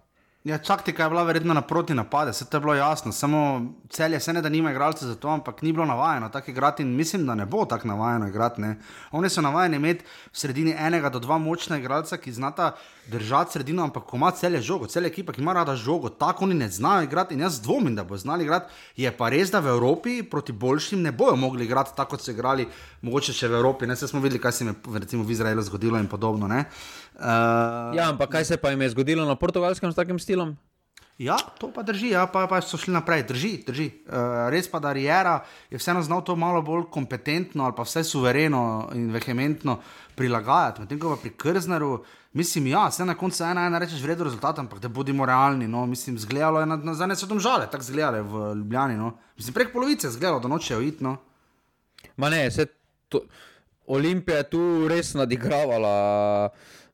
Ja, taktika je bila verjetno naproti napade, vse to je bilo jasno, samo Celje se ne da nima igralce za to, ampak ni bilo navajeno tako igrati in mislim, da ne bo tako navajeno igrati, ne. Oni so navajeni imeti v sredini enega do dva močna igralca, ki znata držati sredino, ampak ko ima Celje žogo, Celje ekipa, ki ima rada žogo, tako oni ne znajo igrati in jaz dvomim, da bo znali igrati, je pa res, da v Evropi proti boljšim ne bojo mogli igrati tako, kot so igrali mogoče še v Evropi, ne, se smo videli, kaj se jim je recimo v Izraelu zgodilo in podobno, ne. Uh, ja, ampak kaj se pa jim je zgodilo na Portugalskem s takim stilom? Ja, to pa drži, ja, pa, pa so šli naprej, drži, drži. Uh, res pa, da Riera je vseeno znal to malo bolj kompetentno ali pa vse suvereno in vehementno prilagajati. Medtem ko pa pri Krznaru, mislim, ja, vse na koncu ena ena rečeš vredo rezultat, ampak da bodimo realni, no, mislim, zgledalo je na, na zadnje so Domžale, tako zgledalo je v Ljubljani, no. Mislim, prek polovice zgledalo, da nočejo iti, no. Ma ne, se to, Olimpija je tu res nadigravala.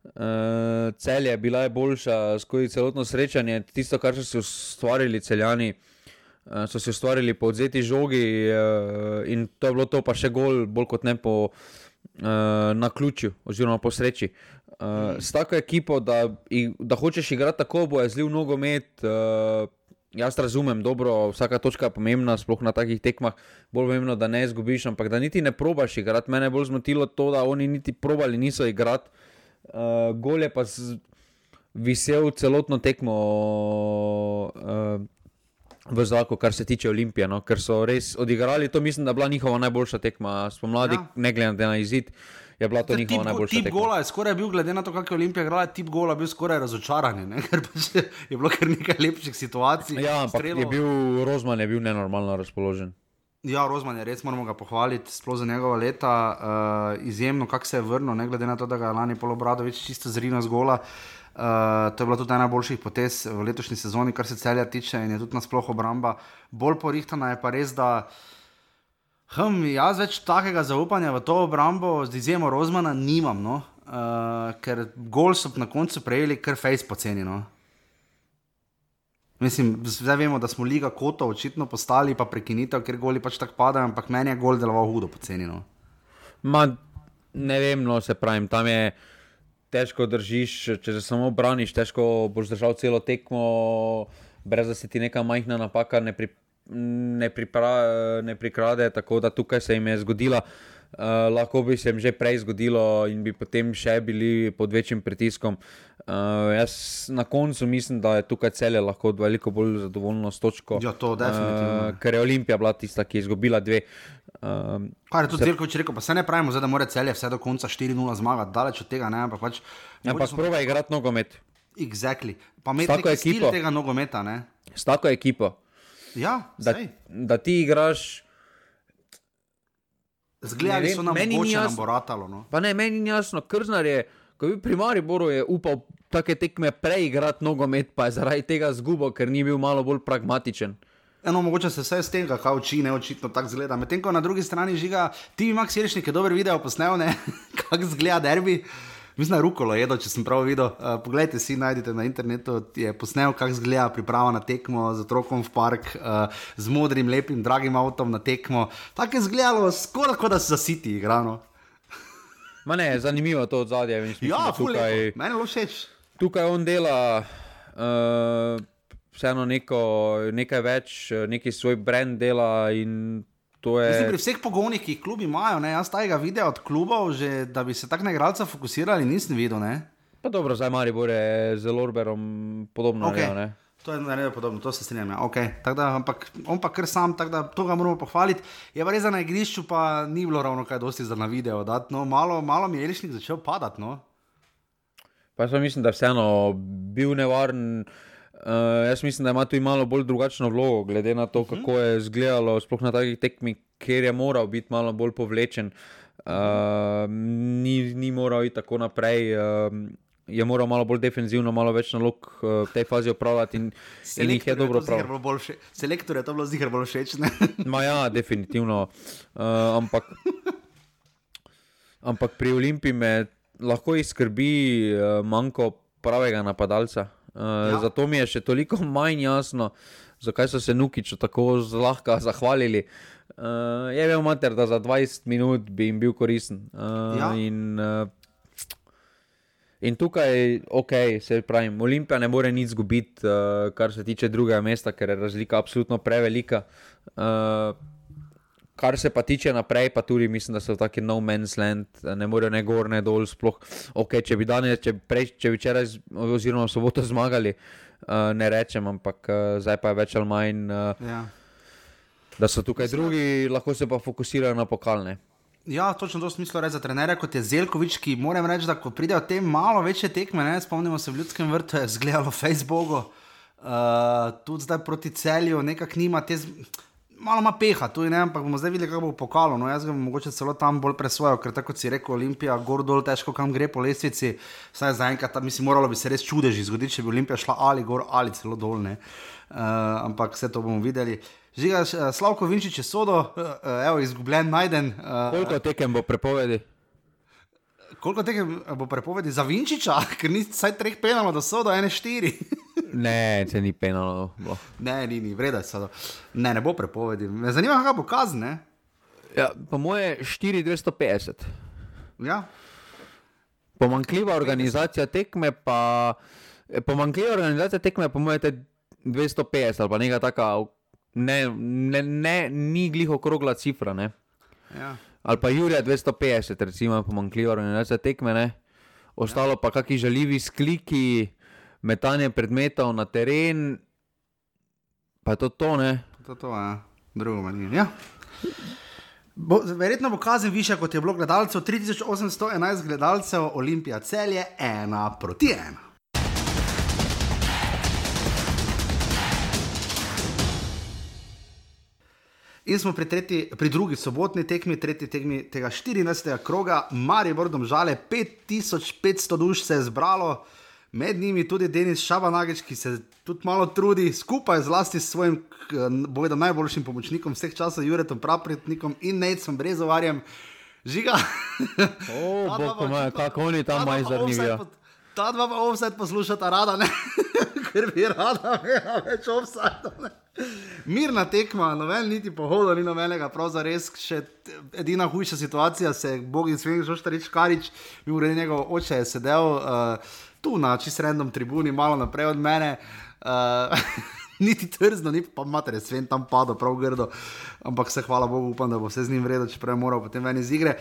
Uh, Celje, bila je boljša skozi celotno srečanje, tisto, kar so si ustvarili Celjani, uh, so si ustvarili po odzeti žogi uh, in to je bilo to, pa še gol, bolj kot ne po uh, naključju oziroma po sreči. Uh, s tako ekipo, da, da hočeš igrati tako, bo je zlil nogomet, uh, jaz razumem, dobro, vsaka točka je pomembna, sploh na takih tekmah, bolj pomembno, da ne izgubiš, ampak da niti ne probaš igrati. Mene je bolj zmotilo to, da oni niti probali niso igrati. Uh, gol je pa z, visel celotno tekmo uh, v zraku, kar se tiče Olimpije, no? Ker so res odigrali, to mislim, da je bila njihova najboljša tekma spomladi, ja. Ne glede na izid, je bila to Te njihova tip, najboljša tip tekma. Tip gola je skoraj bil, glede na to, kako je Olimpija igrala, tip gola bil skoraj razočaranje, ne? Ker pač je bilo kar nekaj lepših situacij. Ja, ampak strelo... je bil, Rozman je bil nenormalno razpoložen. Ja, Rozman je res, moramo ga pohvaliti, sploh za njegova leta, uh, izjemno, kako se je vrnil, ne glede na to, da ga je lani Pol Obradović čisto zrino z gola. Uh, to je bila tudi ena najboljših potez v letošnji sezoni, kar se Celja tiče in je tudi nasploh obramba bolj porihtana, je pa res, da hm, jaz več takega zaupanja v to obrambo z izjemo Rozmana nimam, no, uh, ker gol so na koncu prejeli kar fejs poceni, no. Mislim, zdaj vemo, da smo Liga kotov očitno postali, pa prekinitev, ker goli pač tako padajo, ampak meni je gol deloval hudo poceni, no. Ma, ne vem, no, se pravim, tam je težko držiš, če se samo braniš, težko boš držal celo tekmo, brez da se ti neka majhna napaka ne, pri, ne, pripra, ne prikrade, tako da tukaj se jim je zgodila. Uh, lahko bi se jim že prej zgodilo in bi potem še bili pod večjim pritiskom. Uh, jaz na koncu mislim, da je tukaj Celje lahko veliko bolj zadovoljno s točko. Ja, to definitivno. Uh, ker je Olimpija bila tista, ki je izgubila dve. Uh, Kar je tudi se... Zelkovič rekel, pa se ne pravimo, zdaj, da mora Celje vse do konca štiri nula zmagati, daleč od tega, ne, ampak pač... Ampak smo... probaj igrati nogomet. Exactly. Pa imeti neki stil tega nogometa, ne. s tako ekipo, Ja, da, sej. da ti igraš. Zgledali vem, so nam meni ni mogoče nam jasno. bo ratalo, no. Pa ne, meni ni jasno, Krznar je, ko je bil pri Mariboru, je upal take tekme preigrati nogomet, pa je zaradi tega zgubo, ker ni bil malo bolj pragmatičen. Eno, mogoče se vse z tega, kaj uči, ne očitno tako zgleda. Medtem ko na drugi strani Žiga, ti bi Max Jelšnik je dober video posnel, ne, kako zgleda derbi. Mislim, da je Rukolo jedo, če sem prav videl. Uh, poglejte si, najdete na internetu, je posnel, kako zgleda priprava na tekmo z otrokom v park, uh, z modrim, lepim, dragim avtom na tekmo. Tako je zgledalo, skoraj kot da se za City igrano. Ma ne, zanimivo to od zadnje. Ja, tukaj, meni je bilo všeč. Tukaj on dela uh, vseeno neko, nekaj več, neki svoj brand dela in to je... Mislim, pri vseh pogonih, ki jih klubi imajo, ne, jaz tajega videa od klubov, že, da bi se tak na igralca fokusirali, nisem videl, ne. Pa dobro, zdaj Maribor je z Lorberom podobno. Okay. Naredil, ne? To je naredil podobno, to se strinjam, ja. Okay. Da, ampak on pa kar sam, tako da to ga moramo pohvaliti. Je pa res, da na igrišču pa ni bilo ravno kaj dosti za na video dati, no, malo, malo mi je Jelšnik začel padati, no. Pa jaz mislim, da je vseeno bil nevaren. Uh, jaz mislim, da ima tu malo bolj drugačno vlogo, glede na to, kako je izgledalo, sploh na takih tekmih, kjer je moral biti malo bolj povlečen. Uh, ni, ni moral iti tako naprej, uh, je moral malo bolj defenzivno, malo več nalog uh, v tej fazi opravljati in, in jih je dobro opravljal. Selektor je to bilo ziher bolj všeč, ne? Ma ja, definitivno. Uh, ampak, ampak pri Olimpiji me lahko izskrbi uh, manjko pravega napadalca. Uh, ja. Zato mi je še toliko manj jasno, zakaj so se Nukiču tako zlahka zahvalili. Uh, je bil mater, da za dvajset minut bi jim bil koristen. Uh, ja. in, uh, in tukaj, ok, se pravim, Olimpija ne more nič zgubiti, uh, kar se tiče drugega mesta, ker je razlika absolutno prevelika. Uh, Kar se pa tiče naprej, pa tudi mislim, da so taki no man's land, ne morejo ne gor, ne dol, sploh. Ok, če bi danes, če, prej, če bi včeraj oziroma v soboto zmagali, uh, ne rečem, ampak uh, zdaj pa je več ali manj, uh, ja. Da so tukaj drugi, lahko se pa fokusirajo na pokalne. Ja, točno to smislo reči za trenerja, kot je Zeljkovič, ki moram reči, da ko pridejo te malo večje tekme, ne, spomnimo se v Ljudskem vrtu, je zgledalo Facebooku, uh, tudi zdaj proti Celju, nekak nima te... Z... Malo ima peha, tu ne, ampak bomo zdaj videli, kako bo pokalo. No, jaz ga bom mogoče celo tam bolj presvojil, ker tako si rekel, Olimpija, gor dol, težko kam gre po lestvici. Saj zaenkrat, mislim, moralo bi se res čudeži zgoditi, če bi Olimpija šla ali gor ali celo dol, ne. Uh, ampak vse to bomo videli. Žiga, Slavko Vinčič je sodo, uh, evo, izgubljen, najden. Uh, koliko tekem bo prepovedi? Koliko tekem bo prepovedi za Vinčiča? Ker ni saj treh penalo do sodo, ene štiri. Ne, se ni penalo. Bo. Ne, ni, ni, vreda se. Ne, ne bo prepovedi. Me zanima, kakva bo kazen, ne? Ja, po moje štiri dvesto petdeset. Ja. Pomanjkljiva organizacija tekme pa... Pomanjkljiva organizacija tekme po moje te dvesto petdeset ali pa nekaj taka... Ne, ne, ne, ni glih okrogla cifra, ne? Ja. Ali pa Jurija dvesto petdeset, recimo, pomanjkljiva organizacija tekme, ne? Ostalo ja. Pa kaki žaljivi skliki... Metanje predmetov na teren, pa je to to, ne? To to, ja. Drugo manj. Ja. Bo, verjetno bo kazen višja, kot je bilo gledalcev. tri tisoč osemsto enajst gledalcev, Olimpija Celje, ena proti ena. In smo pri, tretji, pri drugi sobotni tekmi, tretji tekmi tega štirinajstega kroga, Maribor Domžale, pet tisoč petsto duš se je zbralo. Med njimi tudi Denis Šabanagič, ki se tudi malo trudi, skupaj zlasti s svojim, bojda najboljšim pomočnikom vseh časov, Juretom Prapretnikom in Nejcom Brezovarjem. Žiga. O, bog pomaj, kako oni tam maj zanimijo. Ta dva pa offside poslušata rada, ne? Ker bi rada imela več offside, ne? Mirna tekma, noven niti pohodo, ni novenega, prav za res, še edina hujša situacija se je Bogin Svenk Žoštarič Karič, mi uredi njegov oče je sedel, uh, tu na čist random tribuni, malo naprej od mene, uh, niti trzno, ni pa mater, je Sven tam padel prav grdo, ampak se hvala Bogu, upam, da bo vse z njim vredo, čeprav je moral potem ven iz igre.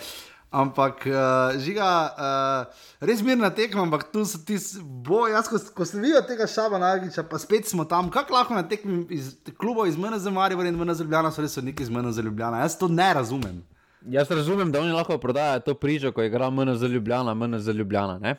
Ampak, uh, Žiga, uh, res mirna tekma, ampak tu so ti boj, jaz, ko, ko sem videl tega Šabanagiča, pa spet smo tam, kako lahko na tekmi iz klubov iz M N Z Maribor in M N Z Ljubljana so res odniki iz M N Z Ljubljana, jaz to ne razumem. Jaz razumem, da oni lahko prodajajo to pričo, ko igra M N Z Ljubljana, M N Z Ljubljana, ne?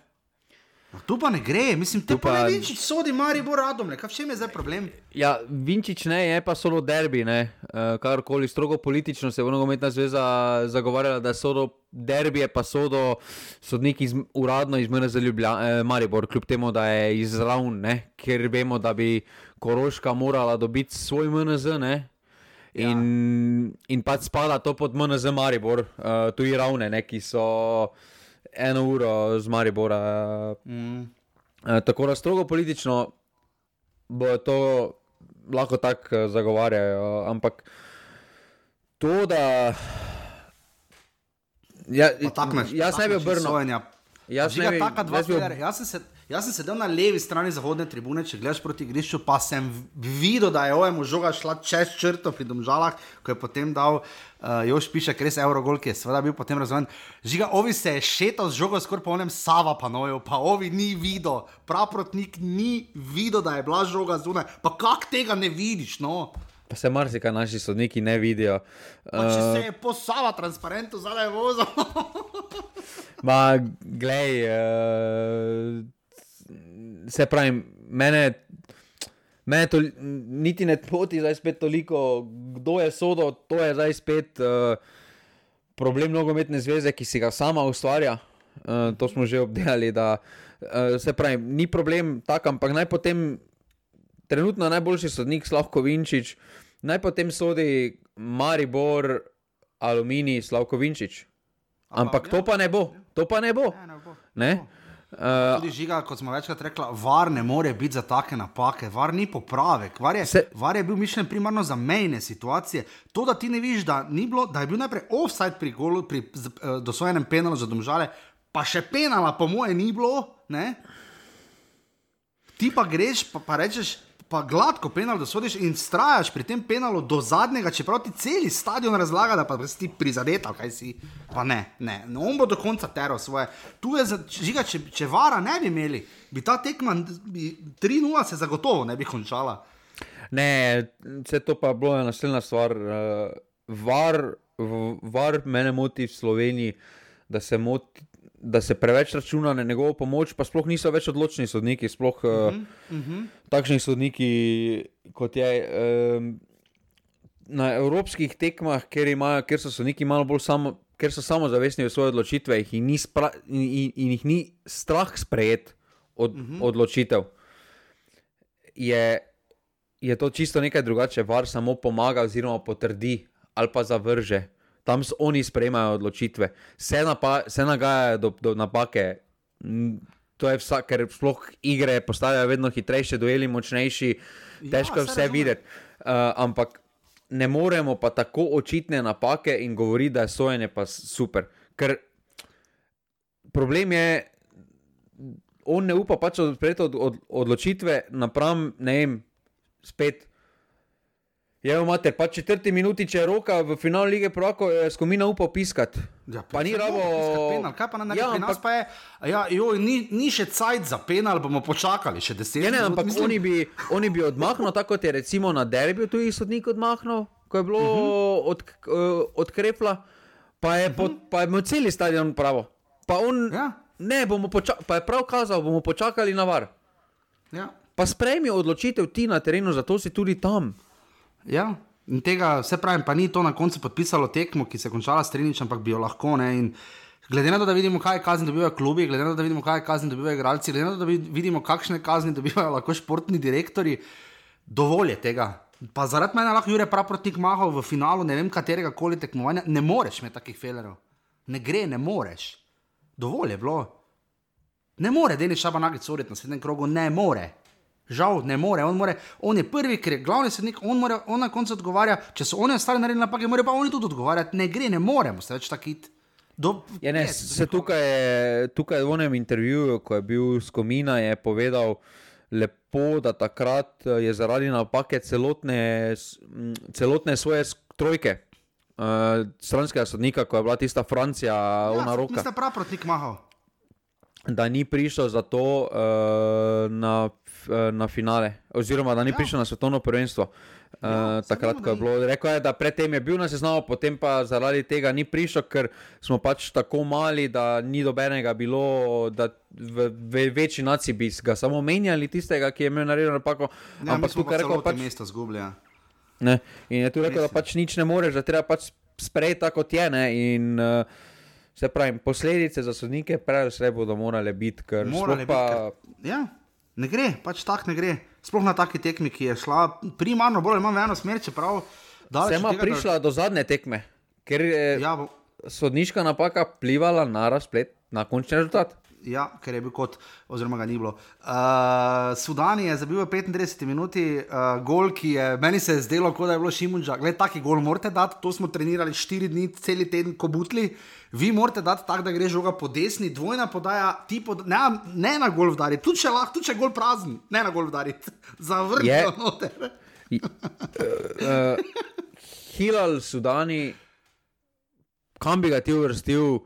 Tu pa ne gre, mislim, te Tu pa pa- ne Vinčić sodi Maribor Radomlje, kaj v čem je zdaj problem? Ja, Vinčić ne, je pa solo derbi, ne. Uh, karkoli strogo politično se je nogometna zveza zagovarjala, da sodo derbije, pa sodo sodniki iz, uradno iz M N Z Ljubljana, eh, Maribor, kljub temu, da je iz Ravn, ne, ker vemo, da bi Koroška morala dobiti svoj M N Z, ne. In, ja. in pač spada to pod M N Z Maribor, uh, tu i Ravne, ne, ki so eno uro z Maribora. Mm. Uh, tako da strogo politično bo to lahko tako zagovarjajo, ampak to, da ja, jaz ne bi obrnil. Jaz ne bi, jaz bi ob... jaz, sem se, jaz sem sedel na levi strani zahodne tribune, če gledaš proti igrišču, pa sem videl, da je ovemu žoga šla čez črto pri Domžalah, ko je potem dal uh, Jož Pišek res Eurogol, ki je seveda bil potem razvojen. Žiga, ovi se je šetal z žogo skoraj po onem Sava panoju, pa ovi ni videl, praprotnik ni videl, da je bila žoga zunaj, pa kak tega ne vidiš, no? Pa se marsikaj naši sodniki ne vidijo. Pa če se je po Sava transparentu zadaj vozil. Ma, glej, uh, se pravim, mene, mene to niti ne poti zdaj spet toliko, kdo je sodo, to je zdaj spet uh, problem nogometne zveze, ki si ga sama ustvarja. Uh, to smo že obdelali, da uh, se pravim, ni problem tak, ampak naj potem trenutno najboljši sodnik Slavko Vinčić, naj potem sodi Maribor, Aluminij, Slavko Vinčić. Ampak to pa ne bo, to pa ne bo. Ne, ne bo. Ne? Uh, Tudi Žiga, kot smo večkrat rekla, VAR ne more biti za take napake, VAR ni popravek, VAR je, Se- VAR je bil mišljen primarno za mejne situacije. To, da ti ne vidiš, da, ni bilo, da je bil najprej offside pri golu, pri z- eh, dosojenem penalu za Domžale, pa še penala po moje ni bilo, ne? Ti pa greš, pa, pa rečeš, pa gladko penal dosodiš in strajaš pri tem penalu do zadnjega, čeprav ti celi stadion razlaga, da pa si ti prizadeta, kaj si. Pa ne, ne, no, on bo do konca teral svoje. Tu je, za, žiga, če, če VAR-a ne bi imeli, bi ta tekma bi, tri nula se zagotovo ne bi končala. ne, vse to pa bilo je naslednja stvar. Uh, VAR, v- VAR mene moti v Sloveniji, da se moti, da se preveč računa na njegovo pomoč, pa sploh niso več odločni sodniki, sploh uh, Uh -huh. takšni sodniki, kot je um, na evropskih tekmah, kjer, imajo, kjer so sodniki malo bolj samo, ker so samozavestni v svoje odločitve jih in, ni spra, in, in, in jih ni strah sprejet od, uh-huh. odločitev, je, je to čisto nekaj drugače. VAR samo pomaga oziroma potrdi ali pa zavrže. Tam so oni sprejemajo odločitve. Se, napa, se nagajajo do, do napake. Mm, To je vsak, ker sploh igre postajajo vedno hitrejše, dueli močnejši, težko je Ja, saj vse razumem. videti. Uh, ampak ne moremo pa tako očitne napake in govoriti, da je sojenje pa super. Ker problem je, on ne upa pač odpreti od, od, odločitve napram, ne vem, spet. Ja, imate pa četrti minuti, če je roka v finalu lige prvakov, je Skomina upal piskati. Ja, pa ni se rabo... mora piskati penal, kaj pa na neki Ja, pri nas ampak- pa je, ja, joj, ni, ni še cajt za penal, bomo počakali še deset Ja, ne, minut, ampak mislim. oni bi, oni bi odmahnil, tako kot je recimo na derbiju tuji sodnik odmahnil, ko je bilo uh -huh. od, uh, od Krepla, pa je, uh -huh. pod, pa je imel celi stadion pravo. Pa on, Ja. ne, bomo počakali, pa je prav kazal, bomo počakali na VAR. Ja. Pa sprejmi odločitev ti na terenu, zato si tudi tam. Ja, in tega, vse pravim, pa ni to na koncu podpisalo tekmo, ki se je končala s Triničem, ampak bi jo lahko. Ne, in glede na to, da vidimo, kaj kazni dobivajo klubi, glede na to, da vidimo, kaj kazni dobivajo igralci, glede na to, da vidimo, kakšne kazni dobivajo lahko športni direktori, dovolj je tega. Pa zaradi mene lahko Jure Praprotnik mahal v finalu, ne vem katerega koli tekmovanja, ne moreš imeti takih felerov. Ne gre, ne moreš. Dovolj je bilo. Ne more Denis Šabanagic soditi na naslednjem krogu, ne more. Žal ne more. On, more, on je prvi, ker je glavni sodnik, on, more, on na koncu odgovarja, če so oni ostali naredili napake, morajo pa oni tudi odgovarjati. Ne gre, ne moremo se več takit. Do, Ja, ne, se tukaj, je- tukaj v onem intervjuju, ko je bil Skomina, je povedal lepo, da takrat je zaradi napake celotne, s- m, celotne svoje sk- trojke uh, stranskega sodnika, ko je bila tista Francija, ona ja, roka, Praprotnik mahal. da ni prišel zato uh, na na finale, oziroma da ni ja. prišel na svetovno prvenstvo. Ja, uh, takrat, ko je bilo, rekel je, da predtem je bil na seznamu, potem pa zaradi tega ni prišel, ker smo pač tako mali, da ni dobenega bilo, da v, v večji naciji bi ga samo menjali tistega, ki je imel naredil napako. Ja, ampak tukaj je rekel, pač mesto zgublja. Ne, in je tu rekel, da pač nič ne moreš, da treba pač sprejeti tako, kot je, ne, in uh, se pravim, posledice za sodnike prej vse bodo morale biti, ker morale pa... biti, ker, ja, ne gre, pač tak ne gre. Sploh na taki tekmi, ki je šla primarno bolj ali manj v eno smer, čeprav... Se ima prišla da... do zadnje tekme, ker je ja, bo... sodniška napaka plivala na razplet, na končni rezultat. Ja, ker je bil kot, oziroma ga ni bilo. Uh, Sudani je zabil v petintrideseti minuti uh, gol, ki je, meni se je zdelo, kot da je bilo Šimunža. Gled, taki gol morate dati, to smo trenirali štiri dni, celi teden, ko butli. Vi morate dati tak, da gre žoga po desni, dvojna podaja, ti pod... ne, ne na gol vdari, tudi če lahko, tudi če gol prazen, ne na gol vdari, zavrnijo yeah. noter. uh, Hilal Sudani, kam bi ga ti uvrstil?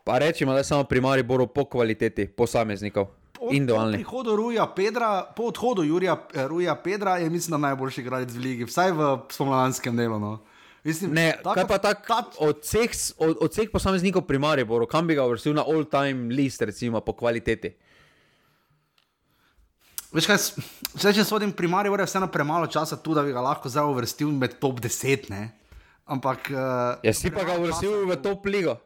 Pa rečemo, da je samo pri Mariboru po kvaliteti posameznikov, individualni. Po prihodu Ruja Pedra, po odhodu Jurija, Ruja Pedra je mislim, da najboljši igralec v ligi, vsaj v spomladanskem delu. No. Mislim, ne, tako, kaj pa tak, tak... od vseh od, od posameznikov pri Mariboru, kam bi ga uvrstil na all-time list, recimo, po kvaliteti? Veš kaj, če če sodim pri Mariboru, je vseeno premalo časa tu, da bi ga lahko zdaj uvrstil med top deset, ne? Ampak... Uh, ja, si pa ga uvrstil v top ligo.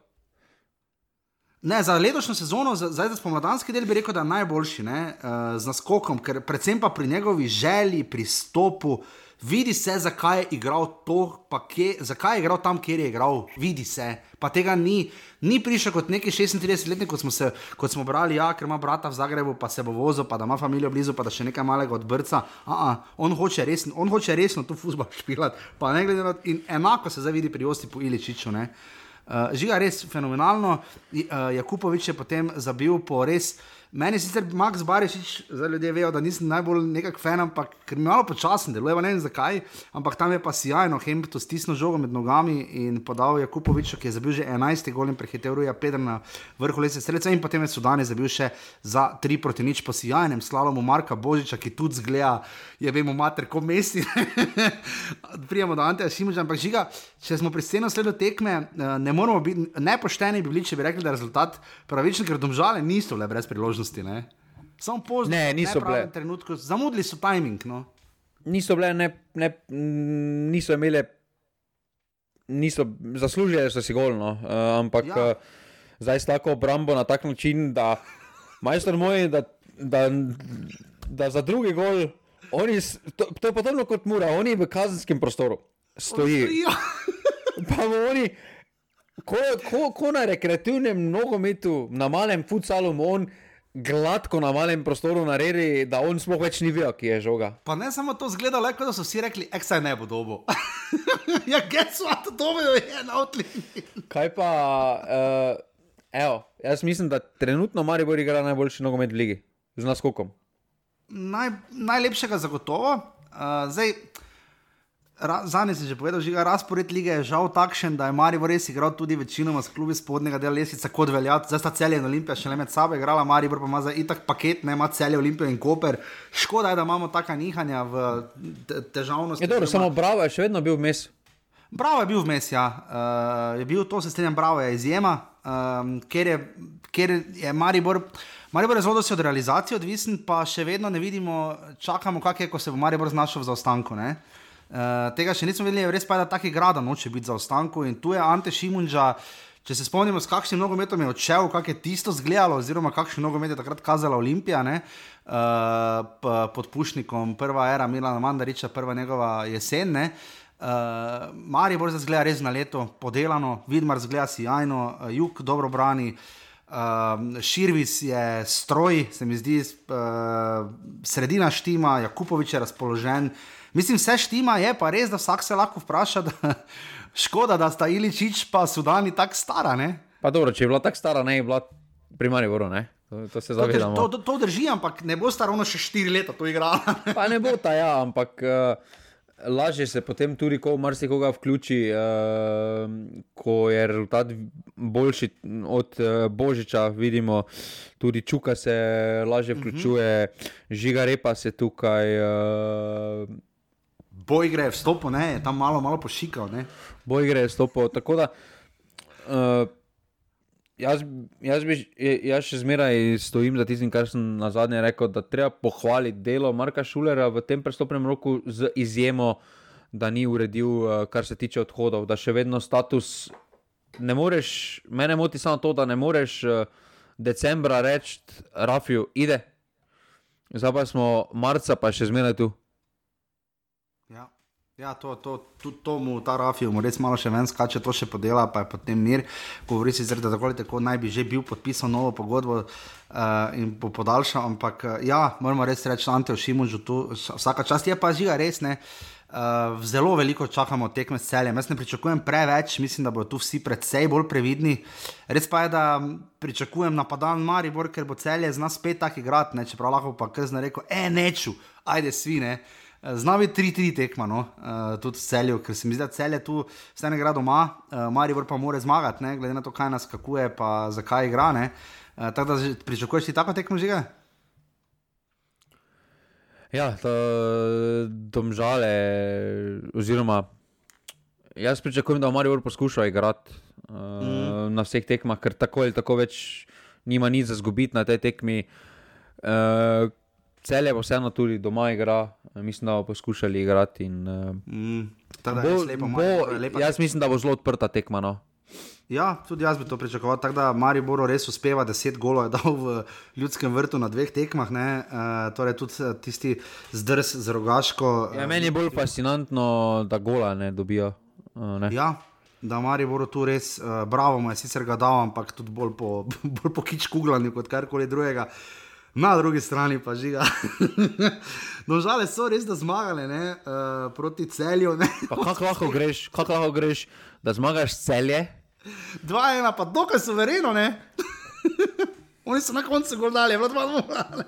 Ne, za letošnjo sezono, za, za spomladanski del bi rekel, da je najboljši, ne, uh, z naskokom, ker predvsem pa pri njegovi želji, pristopu, vidi se, zakaj je igral to, pa kje, zakaj je igral tam, kjer je igral, vidi se, pa tega ni, ni prišel kot neki šestintridesetletnik, kot smo se, kot smo brali, ja, ker ima brata v Zagrebu, pa se bo vozil, pa da ima familijo blizu, pa da še nekaj malega od brca, a-a, on hoče resno, on hoče resno tu fuzbal špilat, pa ne glede na to, in enako se zdaj vidi pri Josipu Iličiću, ne. Uh, Žiga res fenomenalno, uh, Jakupovič je potem zabil po res, meni sicer Max Barišić, zdaj ljudje vejo, da nisem najbolj nekak fan, ampak ker mi malo počasen deluje, ne vem zakaj, ampak tam je pa sjajno, Hempto stisnil žogo med nogami in podal Jakupoviču, ki je zabil že enajsti gol in prehitev Ruja Pedra na vrhu lestvice strelcev in potem je Sudani zabil še za tri proti nič po sjajnem slalomu Marka Božiča, ki tudi zgleda, je vemo mater, ko mesti. Prijemo do Anteja Šimunža, ampak Žiga, če smo pri scenu sledu tekme, ne moramo biti, nepošteni bi bili, če bi rekli, da je rezultat pravičen, ker Domžale niso bile brez priložnosti, ne? Samo pozno, ne, niso bile. Trenutku, zamudili so timing, no? Niso bile, ne, ne, niso imele, niso, zaslužili so si gol, no, uh, ampak ja. uh, zdaj s tako obrambo na tak način, da majstor moj, da, da, da za drugi gol, oni, to, to je podobno kot Mura, oni v kazenskem prostoru stoji. Pa oni, ko, ko, ko na rekreativnem nogometu, na malem futsalu, on gladko na malem prostoru naredi, da on sploh več ni vedel, ki je žoga. Pa ne samo to zgleda, le kot da so vsi rekli, eksaj ne bo dobo. Ja, guess what, dobo je na outlini. Kaj pa, uh, evo, jaz mislim, da trenutno Maribor igra najboljši nogomet v ligi, z naskokom. Naj, najlepšega zagotovo. Uh, zdaj, ra, zanje si že povedal, Žiga, razpored lige je žal takšen, da je Maribor res igral tudi večinoma s klubi spodnjega dela lestvice kot veljat. Zdaj sta Celje in Olimpija še le med sabo igrala, Maribor pa ima zdaj itak paket, ne, ima Celje, Olimpijo in Koper. Škoda je, da imamo taka nihanja v težavnosti. Je dobro, ima... samo Bravo je še vedno bil vmes. Bravo je bil vmes, ja. Uh, je bil, to se strenjam, Bravo je izjema, um, ker, je, ker je Maribor... Maribor je zelo dosti od realizacije odvisen, pa še vedno ne vidimo, čakamo, kak je, ko se bo Maribor znašel v zaostanku, ne. Uh, tega še nismo videli, res pa je, da taki grada noče biti za ostanku in tu je Ante Šimunža, če se spomnimo, s kakšnim nogometom je odšel, kak je tisto zgledalo, oziroma kakšen nogomet je takrat kazala Olimpija, ne, uh, p- pod Pušnikom, prva era Milana Mandariča, prva njegova jesen, ne, uh, Maribor se zgleda res na leto, podelano, Vidmar zgleda sijajno, uh, Jug dobro brani, uh, Širvis je stroj, se mi zdi, uh, sredina štima, Jakupovič je razpoložen. Mislim, vse štima je, pa res, da vsak se lahko vpraša, da škoda, da sta Iličić pa Sudani tako stara, ne? Pa dobro, če je bila tako stara, ne je bila pri Mariboru, ne? To, to se zavedamo. To, to, to drži, ampak ne bo sta ravno še štiri leta to igrala. Pa ne bo ta, ja, ampak uh, lažje se potem tudi, ko marsikoga vključi, uh, ko je rezultat boljši od uh, Božiča, vidimo, tudi Čuka se lažje vključuje, uh-huh. Žiga Repa se tukaj... Uh, Bojgre je vstopil, ne, je tam malo, malo pošikal, ne. Bojgre je vstopil, tako da... Uh, Jaz, jaz, bi, jaz še zmeraj stojim za tistim, kar sem na zadnje rekel, da treba pohvaliti delo Marka Šulerja v tem prestopnem roku z izjemo, da ni uredil, kar se tiče odhodov, da še vedno status ne moreš, mene moti samo to, da ne moreš decembra reči Rafiju, ide, zdaj pa smo marca pa še zmeraj tu. Ja. Ja, to, to, to, to mu ta Rafijo mu res malo še ven skače, to še podela, pa je potem mir. Govori si zred, da tako ali tako naj bi že bil podpisal novo pogodbo uh, in bo podaljšal, ampak uh, ja, moramo res reči Anteju Šimunžu tu, vsaka čast je pa Žiga res, ne. Uh, zelo veliko čakamo tekme s Celjem, jaz ne pričakujem preveč, mislim, da bodo tu vsi predvsej bolj previdni. Res pa je, da pričakujem napadan Maribor, ker bo Celje z nas spet tak igrat, ne, čeprav lahko pa krzno rekel, e, neču, ajde svi, ne. Znavi tri tri tekma, no, uh, tudi v Celju, ker se mi zdi, da Celje tu vse ne igra doma, uh, Maribor pa mora zmagati, ne, glede na to, kaj nas skakuje, pa zakaj igra, ne. Uh, tako da pričakuješ ti tako tekmo, Žiga? Ja, to Domžale, oziroma jaz pričakujem, da Maribor poskuša igrati uh, mm. na vseh tekmah, ker tako ali tako več nima nič za zgubiti na tej tekmi. Uh, Celje pa vseeno tudi doma igra, mislim, da bo poskušali igrati in uh, mm, tada, bo, lepo, bo, lepa jaz mislim, da bo zelo odprta tekma, no. Ja, tudi jaz bi to pričakoval, tako da Maribor res uspeva, deset golov je dal v Ljudskem vrtu na dveh tekmah, ne, uh, torej tudi tisti zdrs z Rogaško. Ja, meni je bolj fascinantno, da gola ne dobijo, uh, ne. Ja, da Mariboru tu res, uh, bravo mu je sicer ga dal, ampak tudi bolj po, bolj po kič kuglanju kot karkoli drugega. Na drugi strani pa Žiga. Domžale so res da zmagale, ne, uh, proti Celju, ne. Pa kako lahko greš, kako lahko greš, da zmagaš Celje? dva ena, pa dokaj suvereno, ne. Oni so na koncu gol dali, je bilo dva dvoje.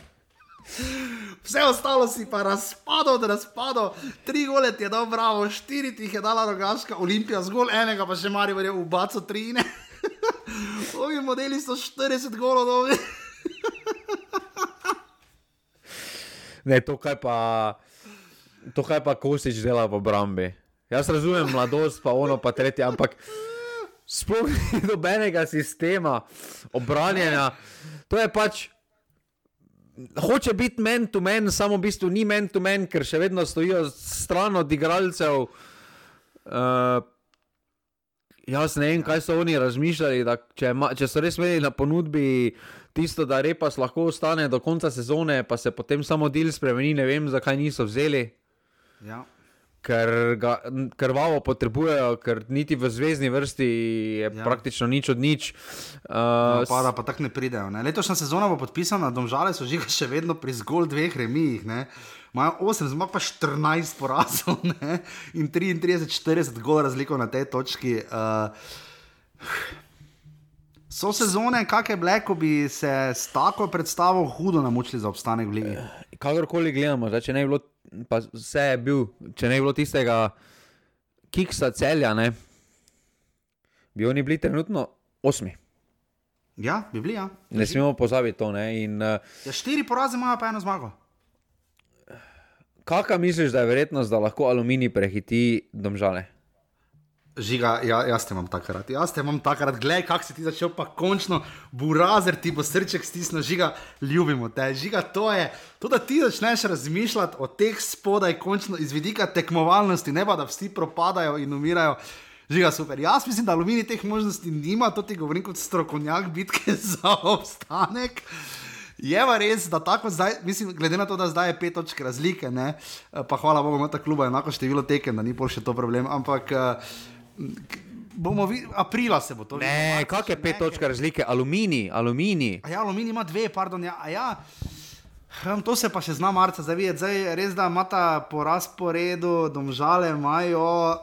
Vse ostalo si pa razpadal, da razpadal. Tri gole ti je dal Bravo, štiri ti jih je dala Rogaška, Olimpija zgolj enega, pa še Maribor je v baco tri, ne. Ovi modeli so štirideset golov dobi. Ne, to kaj pa to kaj pa Kosič dela v obrambi. Jaz razumem mladost, pa ono, pa tretje, ampak sploh ni dobenega sistema obranjanja. To je pač hoče biti man to man, samo v bistvu ni man to man, ker še vedno stojijo stran od igralcev. Uh, jaz ne vem, kaj so oni razmišljali, da če, če so res imeli na ponudbi tisto, da Repas lahko ostane do konca sezone, pa se potem samo deal spremeni, ne vem, zakaj niso vzeli. Ja. Ker ga krvavo potrebujejo, ker niti v zvezni vrsti je ja. praktično nič od nič. Uh, no, pa da pa tako ne pridejo. Ne? Letošnja sezona bo podpisana, Domžale so Žiga še vedno pri zgolj dveh remijih, ne. Imajo osem, zmag pa štirinajst porazov, ne, in triintrideset štirideset gol razliko na tej točki. Uh, So sezone, kakšne bile, ko bi se s tako predstavo hudo namučili za obstanek v ligi? Kakorkoli gledamo, zdaj, če ne bi bilo, pa vse je bil, če ne bi bilo tistega kiksa Celja, ne, bi oni bili trenutno osmi. Ja, bi bili, ja. Ne smemo pozabiti to, ne. In, uh, ja, štiri poraze imajo pa eno zmago. Kakšna misliš, da je verjetnost, da lahko Aluminij prehiti Domžale? Žiga, ja, jaz te imam takrat, jaz te imam takrat, gledaj, kak si ti začel, pa končno burazer ti bo srček stisnil, Žiga, ljubimo te, Žiga, to je, to da ti začneš razmišljati o teh spodaj, končno iz vidika tekmovalnosti, ne pa da vsi propadajo in umirajo, Žiga, super, jaz mislim, da Aluminij teh možnosti nima, to ti govorim kot strokovnjak bitke za obstanek. Je pa res, da tako zdaj, mislim, glede na to, da zdaj je pet točk razlike, ne, pa hvala Bogu, ima ta kluba enako število tekem, da ni pol še to problem, ampak bomo videli, aprila se bo to. Ne, kak je pet točk razlike? Aluminij, Aluminij. A ja, Aluminij ima dve, pardon, ja, a ja. To se pa še zna marca zavideti, zdaj res, da imata po razporedu Domžale imajo uh,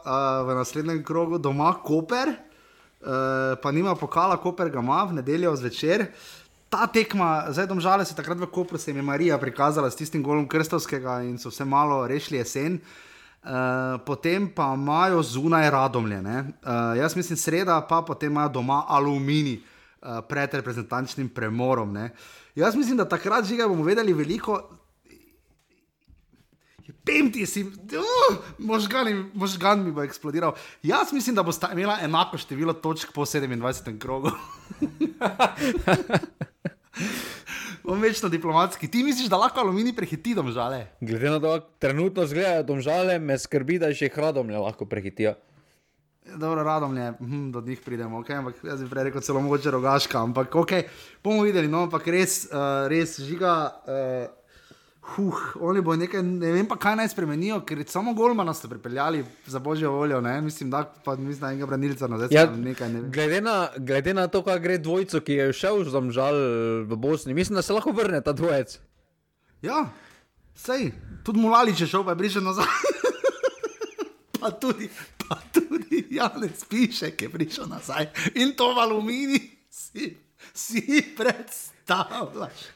v naslednjem krogu doma Koper, uh, pa nima pokala, Koper ga ima v nedeljo zvečer. Ta tekma, zdaj Domžale se takrat v Kopru se jim je Marija prikazala s tistim golom Krstovskega in so vse malo rešili jesen. Uh, potem pa imajo zunaj Radomlje. Uh, jaz mislim sreda, pa potem imajo doma Aluminij uh, pred reprezentančnim premorom. Ne? Jaz mislim, da takrat Žiga bomo vedeli veliko. Pemti si, uh, možgan, možgan mi bo eksplodiral. Jaz mislim, da bo sta imela enako število točk po sedemindvajsetem krogu. Bom večno diplomatski. Ti misliš, da lahko Aluminij prehiti Domžale? Glede na to, trenutno zgledajo Domžale, me skrbi, da še jih Radomlje lahko prehitijo. Dobro, Radomlje, hm, do njih pridemo, okay? Ampak jaz bi prej rekel celo mogoče Rogaška, ampak ok, bomo videli, no, ampak res, uh, res Žiga, uh, huh, oni bo nekaj, ne vem pa kaj naj spremenijo, ker samo golmana ste pripeljali za božjo voljo, ne, mislim, da pa mislim, da enega branilca nazaj, ja, nekaj ne vem. Glede na, glede na to, kaj gre dvojco, ki je šel z Domžal v Bosni, mislim, da se lahko vrne ta dvojec. Ja, sej, tudi Mulalič je šel, pa je prišel nazaj. pa tudi, pa tudi Janez Pišek je prišel nazaj. In to v Aluminij si, si predstavljaš.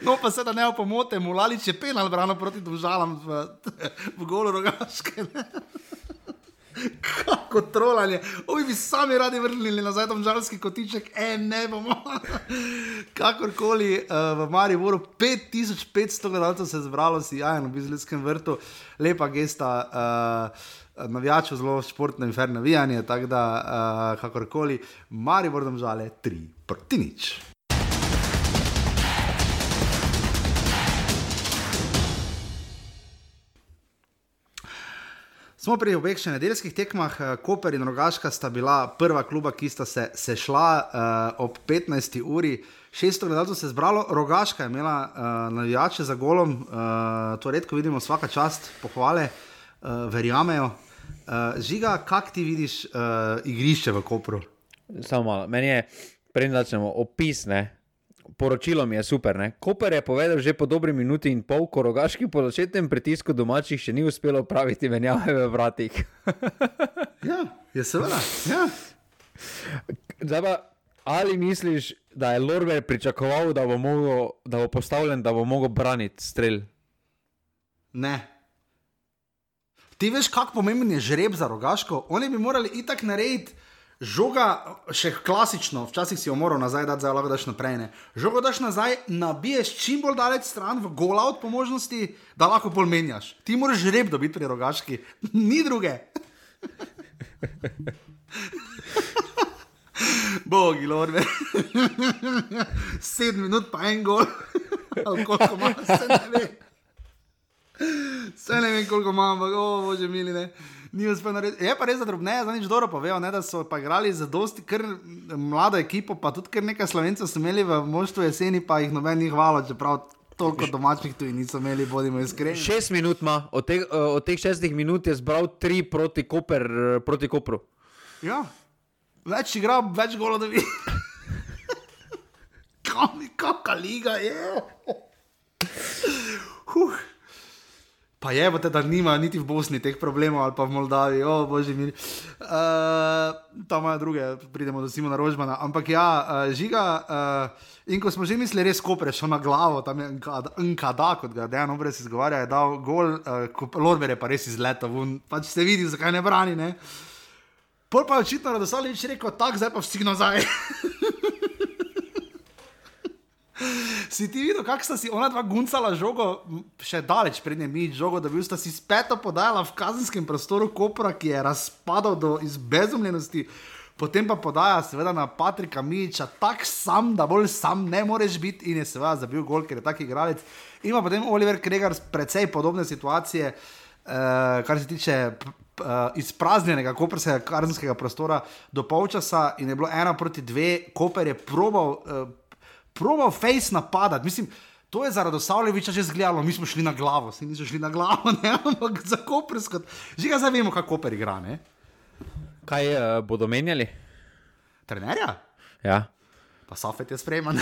No, pa se da ne opomote, Mulalič je penal brano proti Domžalam v, v golu Rogaške. Kako trolanje. Ovi bi sami radi vrnili nazaj domžalski kotiček. E, ne bomo. Kakorkoli, uh, v Mariboru pet tisoč petsto gledalcev se je zbralo, si jajno v Bizletskem vrtu. Lepa gesta, uh, navijačev, zelo športno in fer navijanje, tako da, uh, kakorkoli, Maribor Domžale tri proti nič. Smo pri obeh še nedeljskih tekmah. Koper in Rogaška sta bila prva kluba, ki sta se sešla uh, ob petnajsti uri. šeststo gledalcev se je zbralo. Rogaška je imela uh, navijače za golom. Uh, to redko vidimo, vsaka čast, pohvale, uh, verjamejo. Uh, Žiga, kak ti vidiš uh, igrišče v Kopru? Samo malo. Meni je, preden začnemo, opis, ne? Poročilo mi je super, ne? Koper je povedal že po dobri minuti in pol, ko Rogaški po začetnem pritisku domačih še ni uspelo praviti menjave v vratih. Ja, je seveda, ja. Zdaj pa, ali misliš, da je Lorber pričakoval, da bo, mogo, da bo postavljen, da bo mogel braniti strel? Ne. Ti veš, kak pomemben je žreb za Rogaško? Oni bi morali itak narediti žoga, še klasično, včasih si jo moral nazaj dati, zdaj lahko daš naprej, ne. Žogo daš nazaj, nabiješ čim bolj daleč stran, v gol-out po možnosti, da lahko bolj menjaš. Ti moraš žreb dobiti pri Rogaški. Ni druge. Bogi, Lorbe. Sedem minut pa en gol. Ali koliko ima, se ne ve. Se ne vem, koliko ima, ampak, o, bože mili, ne. Je pa res zadrobneje, za nič dobro povedal, da so pa igrali za dosti kar mlado ekipo, pa tudi kar nekaj Slovencev so imeli v moštvu jeseni, pa jih noben ni hvala, čeprav toliko domačnih tuji niso imeli, bodimo iskreni. Šest minut ima, od teh, od teh šestih minut je zbral tri proti, Koper, proti Kopru. Ja, več igra, več golo da vi. Kakva liga je. Huh. Pa je, da nima niti v Bosni teh problemov, ali pa v Moldaviji, o bože mili. Uh, tam imajo druge, pridemo do Simona Rožmana. Ampak ja, uh, Žiga, uh, in ko smo že mislili res Koper, šel na glavo, tam je N K D A, kot ga Dejan Obrez izgovarja, je dal gol, uh, Lorber je pa res izletal, pač ste videli, zakaj ne brani, ne. Pol pa je očitno Radosavljević rekel, tak, zdaj pa vsi nazaj. Si ti videl, kako sta si ona dva guncala žogo, še daleč pred njemi žogo, da bil sta si spet podajala v kazenskem prostoru Kopra, ki je razpadal do izbezumljenosti, potem pa podaja seveda na Patrika Mijića, tak sam, da bolj sam ne moreš biti in je seveda zabil gol, ker je tak igralec. Ima potem Oliver Kregar precej podobne situacije, eh, kar se tiče Uh, izpraznjenega koprskega kazenskega prostora do polčasa in je bilo ena proti dve. Koper je probal, uh, probal face napadati. Mislim, to je za Radosavljevića že zgledalo, mi smo šli na glavo, si niso šli na glavo, ne, ampak za koprsko. Že ga zdaj vemo, kako Koper igra, ne? Kaj uh, bodo menjali? Trenerja? Ja. Pa Safet je spreman.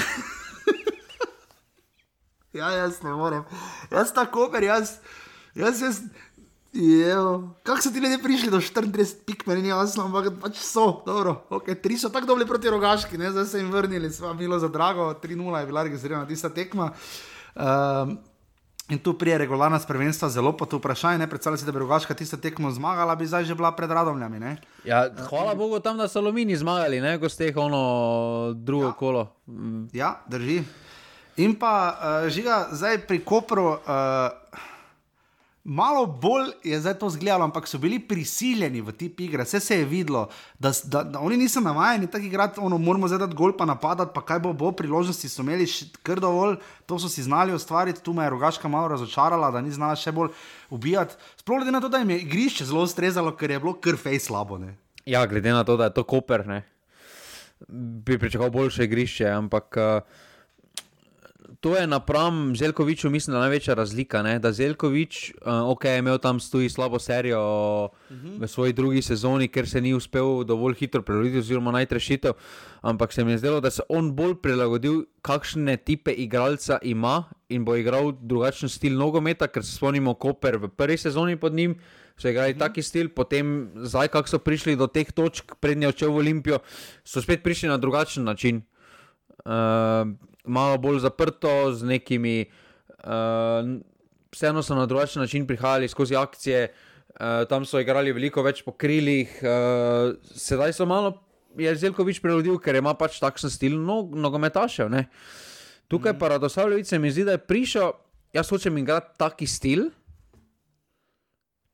Ja, jaz ne morem. Jaz ta Koper, jaz, jaz, jaz, Jejo, kako so ti ljudje prišli do štiriintrideset pik, meni ni jasno, ampak pač so, dobro, ok, tri so tako dobili proti Rogaški, ne, zdaj se jim vrnili, sva bilo za drago, tri nula je bila registrirana tista tekma. Um, In tu prije regularna prvenstva zelo pa to vprašanje, ne predstavljaj si, da bi Rogaška tisto tekmo zmagala, bi zdaj že bila pred Radomljami, ne? Ja, hvala Bogu tam, da so Alumini zmagali, ne, ko ste ono drugo Ja. kolo. Ja, drži. In pa, uh, Žiga, zdaj pri Kopru, uh, malo bolj je zdaj to zgledalo, ampak so bili prisiljeni v tip igre, vse se je videlo, da, da, da oni niso navajeni tako igrati, ono, moramo zdaj dati gol pa napadati, pa kaj bo, bo priložnosti so imeli kar dovolj, to so si znali ustvariti, tu me je Rogaška malo razočarala, da ni znala še bolj ubijati, sploh glede na to, da jim je igrišče zelo ustrezalo, ker je bilo kar fej slabo, ne. Ja, glede na to, da je to Koper, ne, bi pričakoval boljše igrišče, ampak uh, to je napram Željkoviču, mislim, da največja razlika, ne? Da Željkovič, uh, ok, je imel tam stoji slabo serijo uh-huh. v svoji drugi sezoni, ker se ni uspel dovolj hitro preroditi oziroma najti rešitev, ampak se mi je zdelo, da se on bolj prilagodil, kakšne tipe igralca ima in bo igral drugačen stil nogometa, ker se spomnimo Koper v prvi sezoni pod njim, so igrali uh-huh. taki stil, potem zdaj, kako so prišli do teh točk, prednje odšel v Olimpijo, so spet prišli na drugačen način. Uh, malo bolj zaprto, z nekimi, uh, vseeno so na drugačen način prihajali skozi akcije, uh, tam so igrali veliko več po krilih, uh, sedaj so malo, je Željkovič preludil, ker ima pač takšen stil nog, nogometašev, ne. Tukaj mm. pa Radosavljević se mi zdi, da je prišel, jaz hočem igrati taki stil,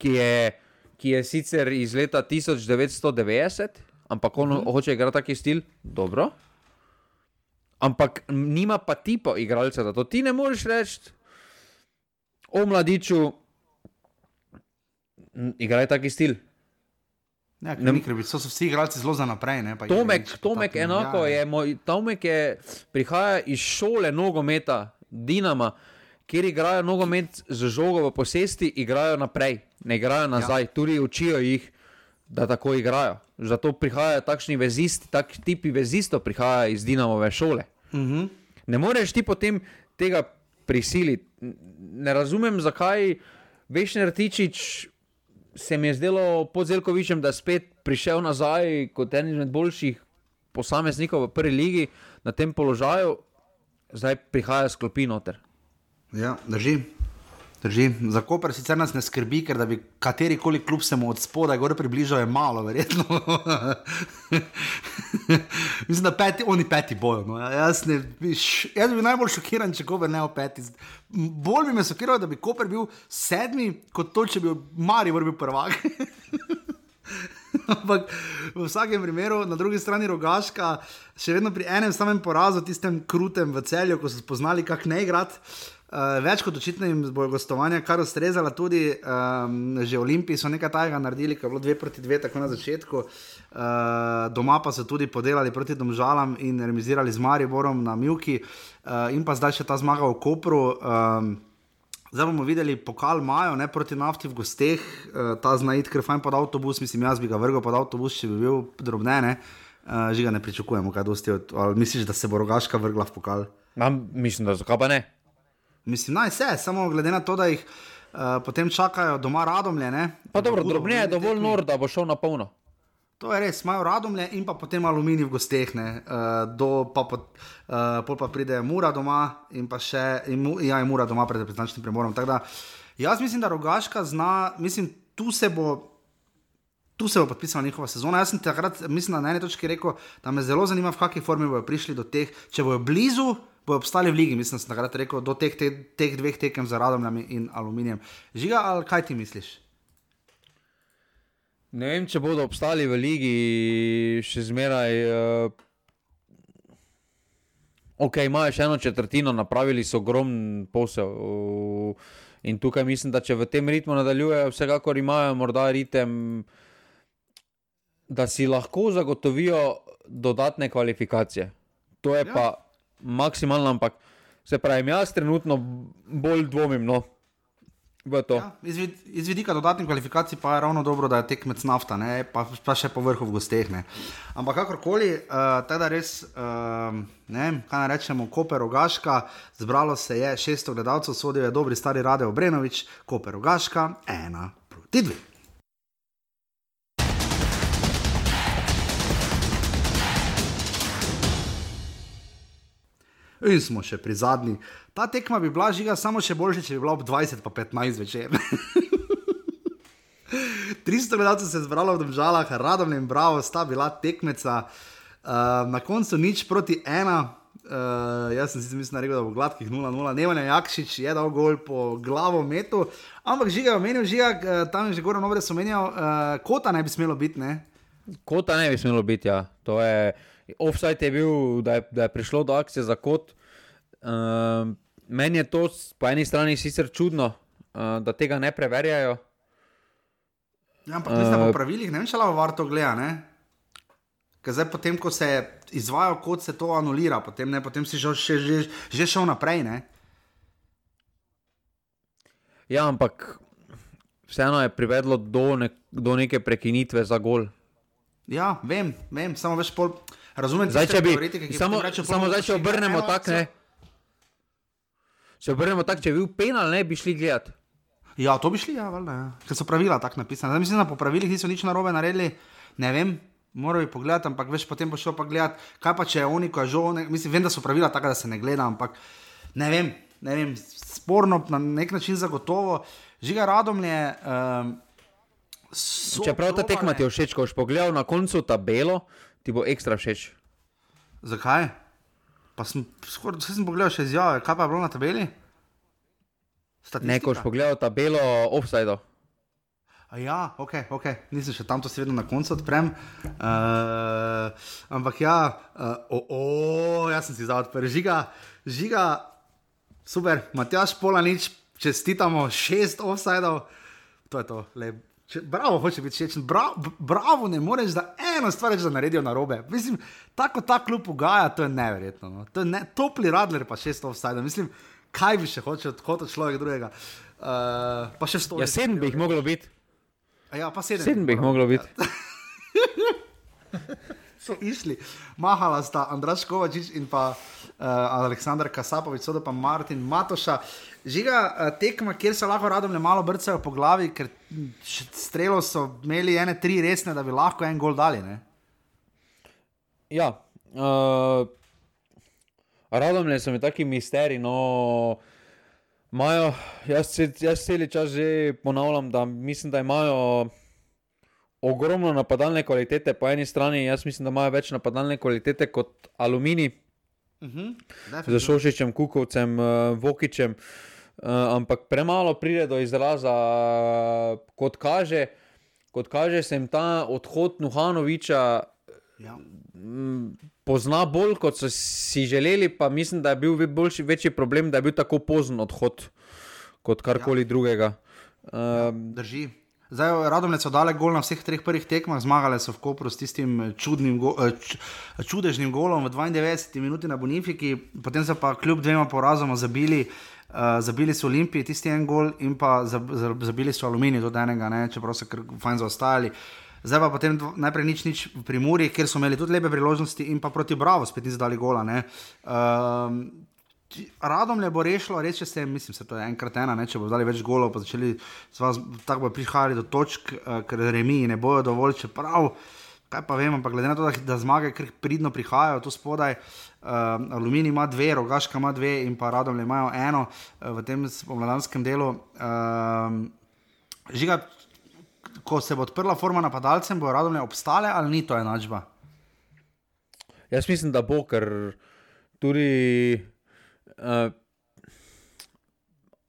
ki je, ki je sicer iz leta tisoč devetsto devetdeset, ampak on mm. hoče igrati taki stil, dobro, ampak nima pa tipo igralca, da to ti ne moreš reči o mladiču igraj taki stil. Ja, ker, ne, ker so vsi igralci zelo za naprej. Ne, pa Tomek, igrič, Tomek pa enako ja, je, moj, Tomek je, prihaja iz šole nogometa Dinama, kjer igrajo nogomet z žogo v posesti, igrajo naprej, ne igrajo nazaj, ja. Tudi učijo jih, da tako igrajo. Zato prihajajo takšni vezisti, tak tipi vezistov prihajajo iz Dinamove šole. Uh-huh. Ne moreš ti potem tega prisiliti. Ne razumem, zakaj Vešner Tičič se mi je zdelo pod Željkovičem, da je spet prišel nazaj kot en izmed boljših posameznikov v prvi ligi na tem položaju, zdaj prihaja s klopi noter. Ja, drži. Drži. Za Koper sicer nas ne skrbi, ker da bi katerikoli klub se mu od spodaj gore približal, je malo, verjetno. Mislim, da peti, oni peti bojo. No. Jaz, ne, jaz bi najbolj šokiran, če Koper ne v peti. Bolj bi me šokiral, da bi Koper bil sedmi, kot to, če bi Maribor bil prvak. Ampak v vsakem primeru, na drugi strani Rogaška, še vedno pri enem samem porazu, tistem krutem v Celju, ko so spoznali, kak ne igrati. Uh, več kot očitno jim bojo gostovanja kar ustrezala, tudi um, že Olimpiji so nekaj tajega naredili, ker je bilo dve proti dve tako na začetku, uh, doma pa so tudi podelali proti Domžalam in remizirali z Mariborom na Mivki, uh, in pa zdaj še ta zmaga v Kopru. Um, zdaj bomo videli pokal Majo, ne, proti Nafti v gosteh, uh, ta zna iti kar fajn pod avtobus, mislim, jaz bi ga vrgal pod avtobus, če bi bil drobne, ne, uh, Žiga ne pričakujemo kaj dosti, od, ali misliš, da se bo Rogaška vrgla v pokal? Ja, mislim, da zakaj pa ne? Mislim, naj se, samo glede na to, da jih uh, potem čakajo doma Radomlje, ne. Pa dobro, drobne je dovolj nor, da bo šel na polno. To je res, imajo Radomlje in pa potem Alumini v gosteh, ne. Uh, do, pa, po, uh, pol pa pride Mura doma in pa še, in, ja, in Mura doma pred reprezentančnim premorom. Tako da, jaz mislim, da Rogaška zna, mislim, tu se bo, tu se bo podpisala njihova sezona. Jaz sem takrat, mislim, na eni točki rekel, da me zelo zanima, v kakej formi bojo prišli do teh, če bojo blizu, bojo obstali v ligi, mislim, da sem takrat rekel, do teh, te, teh dveh tekem za Radomljami in Aluminijem. Žiga, ali kaj ti misliš? Ne vem, če bodo obstali v ligi še zmeraj. Uh, ok, imajo še eno četrtino, napravili so ogromen posel. Uh, in tukaj mislim, da če v tem ritmu nadaljujejo, vsekakor imajo morda ritem, da si lahko zagotovijo dodatne kvalifikacije. To je ja. pa maksimalno, ampak se pravim, jaz trenutno bolj dvomim, no, v to. Ja, iz, vid, iz vidika dodatnih kvalifikacij pa je ravno dobro, da je tekmec Nafta, ne, pa, pa še po vrhu v gosteh, ne. Ampak kakorkoli, uh, teda res, uh, ne, kaj ne rečemo, Koper Rogaška, zbralo se je šeststo gledalcev, sodil je dobri stari Rade Obrenović, Koper Rogaška, ena proti dve. In smo še pri zadnji. Ta tekma bi bila žiga samo še boljše, če bi bila ob dvajset pa petnajst večer. tristo gledalcev se je zbralo v Domžalah, Radomlje in Bravo sta bila tekmeca. Uh, na koncu nič proti ena. Uh, jaz sem si mislim, rekel, da bo gladkih nula nula. Nemanja Jakšič je dal gol po glavo metu. Ampak Žiga je omenil, Žiga, tam je že Goran Ovres omenjal, uh, kota ne bi smelo biti, ne? Kota ne bi smelo biti, ja. To je, offside je bil, da je, da je prišlo do akcije za kot. Uh, meni je to po eni strani sicer čudno, uh, da tega ne preverjajo. Ja, ampak mislim, uh, po pravilih, ne vem, če lavo var to gleda, ne? Ker zdaj potem, ko se izvajo kot se to anulira, potem, ne, potem si že, že, že šel naprej, ne? Ja, ampak vseeno je privedlo do, ne, do neke prekinitve za gol. Ja, vem, vem, samo veš pol, razumem, zdaj, če bi, ki samo, reče, samo zdaj, če obrnemo tak, ne, če obrnemo tak, če bi bil penal, ne, bi šli gledat. Ja, to bi šli, ja, valjda, ja. Ker so pravila tako napisane. Zdaj mislim, da po pravilih niso nič narobe naredili, ne vem, moral bi pogledati, ampak veš, potem bo šel pa gledati, kaj pa če je oni, ko je žal, mislim, vem, da so pravila taka, da se ne gleda, ampak ne vem, ne vem, sporno na nek način zagotovo. Žiga Radomlje, um, čeprav ta tekma ti je všeč, ko boš pogledal na koncu tabelo, ti bo ekstra všeč. Zakaj? Pa sem, skor, sem pogledal še izjave, kaj pa je bilo na tabeli? Statistika? Ne, ko boš pogledal tabelo offside-o. Ja, ok, ok, nisem še tam to seveda na koncu odprem, uh, ampak ja, uh, o, o, jaz sem si zdaj odprl, Žiga, Žiga, super, Matjaž Polanič, čestitamo, šest offside-ov, to je to, lep, če, bravo, hoče biti šečen, bravo, bravo, ne moreš, da eno stvar reči, da naredijo narobe, mislim, tako ta klub ugaja, to je neverjetno, no? To je ne, topli Radler pa šest offside-ov, mislim, kaj bi še hočel od človeka drugega, uh, pa še sto. Ja, sedem bi jih moglo biti. Ja, pa sedem. Sedem bi jih moglo biti. So išli. Mahala sta Andraž Kovačič in pa uh, Aleksandar Kasapovič, sodo pa Martin Matoša. Žiga, uh, tekma, kjer se lahko Radomlje malo brcajo po glavi, ker strelo so imeli ene tri resne, da bi lahko en gol dali, ne? Ja. Uh, Radomlje so mi taki misteri, no... Imajo, jaz, jaz celi čas že ponavljam, da mislim, da imajo ogromno napadalne kvalitete po eni strani, jaz mislim, da imajo več napadalne kvalitete kot Aluminij, uh-huh. Z Šošičem, Kukovcem, Vokičem, ampak premalo pride do izraza, kot kaže, kot kaže se jim ta odhod Nuhanoviča ja. Pozna bolj, kot so si želeli, pa mislim, da je bil boljši, večji problem, da je bil tako pozen odhod, kot karkoli ja. Drugega. Um, ja, drži. Zdaj, Radomlje so dale gol na vseh treh prvih tekmah, zmagale so v Kopru s tistim čudnim go, č, čudežnim golom v dvaindevetdeseti minuti na Bonifiki, potem so pa kljub dvema porazoma zabili, uh, zabili so Olimpiji tisti en gol in pa zabili so Aluminij do enega, ne, čeprav so kar fajn zaostajali. Zdaj pa potem najprej nič, nič v Primorji, kjer so imeli tudi lepe priložnosti in pa proti Bravo spet niso dali gola, ne. Um, Radomlje bo rešilo, reče se, mislim, se to je enkrat ena, ne, če bo dali več golov, pa začeli tako bo prihajali do točk, uh, ker remiji ne bojo dovolj, čeprav, kaj pa vem, ampak glede na to, da, da zmage kar pridno prihajajo tu spodaj, uh, Aluminij ima dve, Rogaška ima dve in pa Radomlje imajo eno uh, v tem pomladanskem delu. Uh, Žiga, ko se bo odprla forma napadalcem, bo Radomlje obstale ali ni to enačba? Jaz mislim, da bo, ker tudi uh,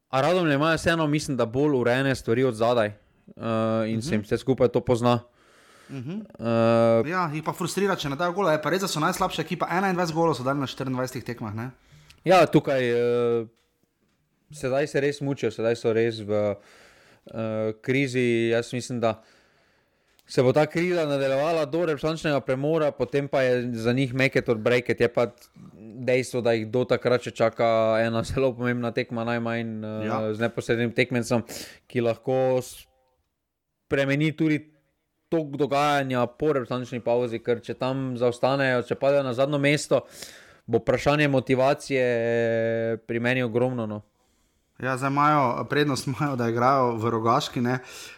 a Radomlje imajo vseeno, mislim, da bolj urejene stvari od zadaj uh, in uh-huh. se jim vse skupaj to pozna. Uh-huh. Uh, ja, jih pa frustrira, če ne dajo gola, je pa res, da so najslabša ekipa, enaindvajset golov so dali na štiriindvajsetih tekmah, ne? Ja, tukaj uh, sedaj se res mučijo, sedaj so res v Uh, krizi, jaz mislim, da se bo ta kriza nadaljevala do reprezentančnega premora, potem pa je za njih make it or break it, je pa dejstvo, da jih do takrat še čaka ena zelo pomembna tekma, najmanj uh, ja. Z neposrednim tekmencem, ki lahko spremeni tudi tok dogajanja po reprezentančni pauzi, ker če tam zaostanejo, če padejo na zadnjo mesto, bo vprašanje motivacije pri meni ogromno, no. Ja, zdaj imajo, prednost imajo, da igrajo v Rogaški, ne,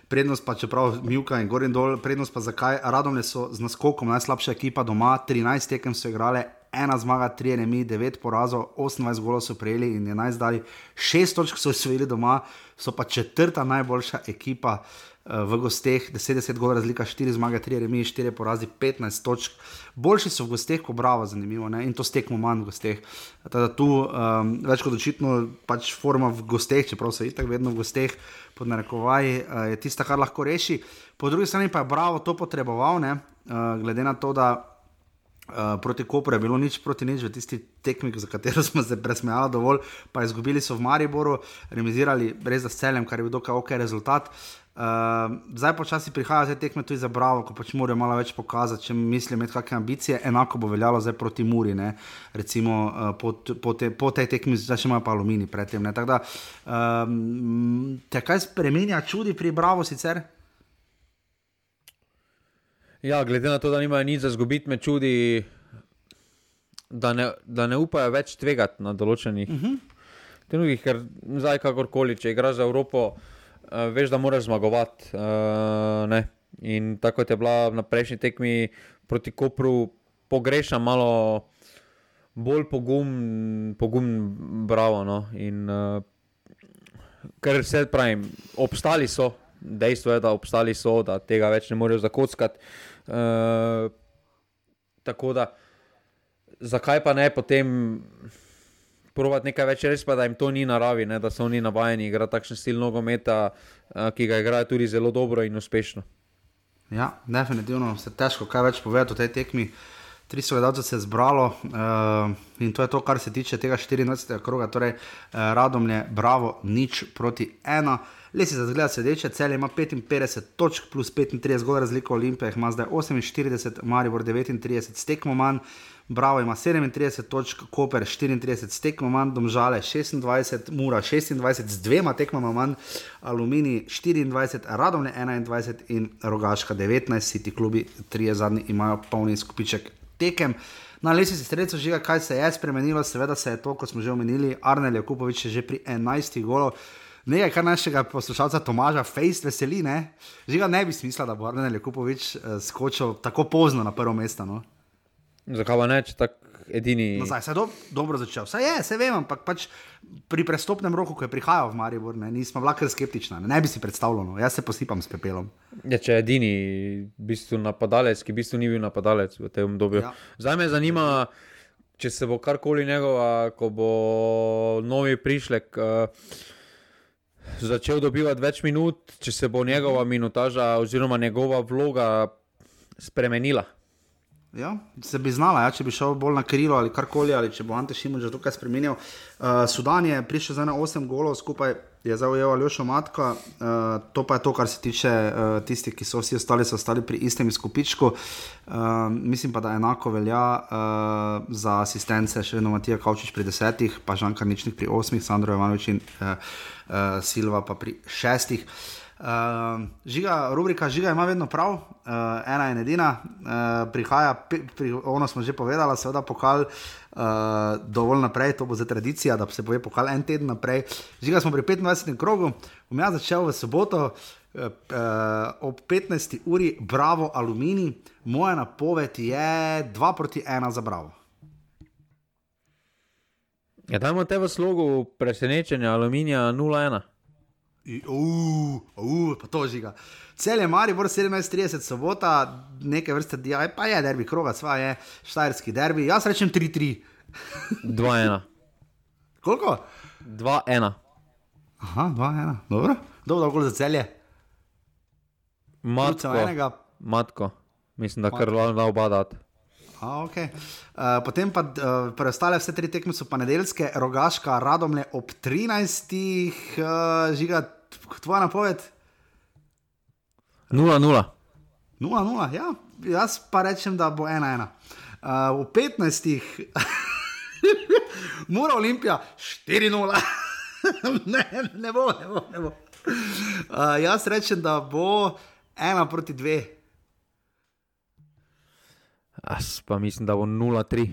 prednost pa čeprav Mivka in gor in dol, prednost pa zakaj, Radomlje so z naskokom najslabša ekipa doma, trinajst tekem so igrale, ena zmaga, tri remi, devet porazov, osemnajst golov so prejeli in enajst dali, šest točk so osvojili doma, so pa četrta najboljša ekipa v gosteh, deset gol razlika, štiri zmage, tri remi, štiri porazi, petnajst točk. Boljši so v gosteh, ko Bravo, zanimivo, ne? In to stekmo manj v gosteh. Teda tu um, več kot očitno pač forma v gosteh, čeprav so itak vedno v gosteh, pod narekovaj, uh, je tista, kar lahko reši. Po drugi strani pa je Bravo to potreboval, ne? Uh, glede na to, da Uh, proti Kopru je bilo nič proti nič v tisti tekmi, za katero smo se presmejali dovolj, pa izgubili so v Mariboru, remizirali res za Celjem, kar je bil dokaj ok rezultat. Uh, zdaj počasi prihaja te tekme tudi za Bravo, ko pač morajo malo več pokazati, če mislijo imeti kakšne ambicije, enako bo veljalo zdaj proti Muri, ne? Recimo uh, po, po, te, po tej tekmi zdaj še imajo pa Alumini predtem. Ne? Tako da, um, te kaj spremenja čudi pri Bravo sicer? Ja, glede na to, da nimajo nič za zgubiti, me čudi, da ne, da ne upajo več tvegati na določenih uh-huh. trenutih, ker zdaj kakorkoli, če igraš za Evropo, uh, veš, da moraš zmagovati. Uh, ne. In tako kot je bila na prejšnji tekmi proti Kopru, pogrešam malo bolj pogum, pogum Bravo. No. In, uh, ker se pravim, obstali so. Dejstvo je, da obstali so, da tega več ne morejo zakockati. Uh, tako da, zakaj pa ne potem provati nekaj več, res pa, da jim to ni naravi, ne, da so oni navajeni igrati takšen stil nogometa, uh, ki ga igrajo tudi zelo dobro in uspešno. Ja, definitivno se težko kaj več povedati o tej tekmi. Tri gledalcev se je zbralo uh, in to je to, kar se tiče tega štiriindvajsetega kroga, torej uh, Radomlje, Bravo, nič proti ena. Lesi za zgleda sedeče, Celje ima petinpetdeset točk plus petintrideset gol razliko, Olimpija ima zdaj oseminštirideset, Maribor devetintrideset, stekmo manj, Bravo ima sedemintrideset točk, Koper štiriintrideset, stekmo manj, Domžale šestindvajset, Mura šestindvajset, z dvema tekmama manj, Alumini štiriindvajset, Radomlje enaindvajset in Rogaška devetnajst, si ti klubi trije zadnji imajo polni skupiček tekem. Na lestvici strelcev Žiga, kaj se je spremenilo, seveda se je to, kot smo že omenili, Arnel Jakupović je že pri enajstih golov. Nekaj, kar našega poslušalca Tomaža Fejst veseli, ne? Žiga, ne bi smisla, da bo Arnel Jakupović uh, skočil tako pozno na prvo mesto, no? Zakaj pa ne, če tak edini... No, zdaj, se je do, dobro začel. Saj je, se vem, ampak pač pri prestopnem roku, ko je prihajal v Maribor, ne, nismo bila kar skeptična, ne, ne bi si predstavljal, no. Jaz se posipam s pepelom. Ja, če je edini v bistvu napadalec, ki v bistvu ni bil napadalec v tem obdobju. Ja. Zdaj me zanima, če se bo karkoli njegova, ko bo novi prišlek... Uh, začel dobivati več minut, če se bo njegova minutaža oziroma njegova vloga spremenila. Ja, se bi znala, ja, če bi šel bolj na krilo ali karkoli, ali če bo Ante Šimundža tukaj spremenil. Uh, Sudan je prišel za osem golov, skupaj je zaujel Aljošo Matka, uh, to pa je to, kar se tiče uh, tistih, ki so vsi ostali, so ostali pri istem izkupičku. Uh, mislim pa, da enako velja uh, za asistence, še vedno Matija Kavčič pri desetih, pa Žan Karničnik pri osmih, Sandro Jovanović in uh, uh, Silva pa pri šestih. Uh, žiga, rubrika Žiga ima vedno prav, uh, ena in edina, uh, prihaja, pri, ono smo že povedala, seveda pokal uh, dovolj naprej, to bo za tradicija, da se pove pokal en teden naprej. Žiga, smo pri petindvajsetem krogu, bom jaz začel v soboto uh, uh, ob petnajsti uri, Bravo Alumini, moja napoved je dva proti ena za Bravo. Ja, dajmo te v slogu presenečenja Aluminija nula ena. Uuu, uh, pa to Žiga. Celje Maribor sedemnajst trideset sobota, neke vrste, pa je derbi kroga, sva je štajerski derbi, jaz rečem tri tri. dva ena. Koliko? dva ena. Aha, dva ena, dobro. Dobro, okoli za Celje. Matko, Matko, mislim, da kar da oba dati. A, okay. uh, potem pa uh, preostale vse tri tekme so pa nedeljske, Rogaška, Radomlje ob trinajstih, uh, Žiga, tvoja napoved? nula nula. nula nula, ja, jaz pa rečem, da bo ena ena. Uh, v petnajstih Mura Olimpija štiri nula. ne, ne bo, ne bo, ne bo. Uh, jaz rečem, da bo ena proti dve. Jaz pa mislim, da bo nula tri.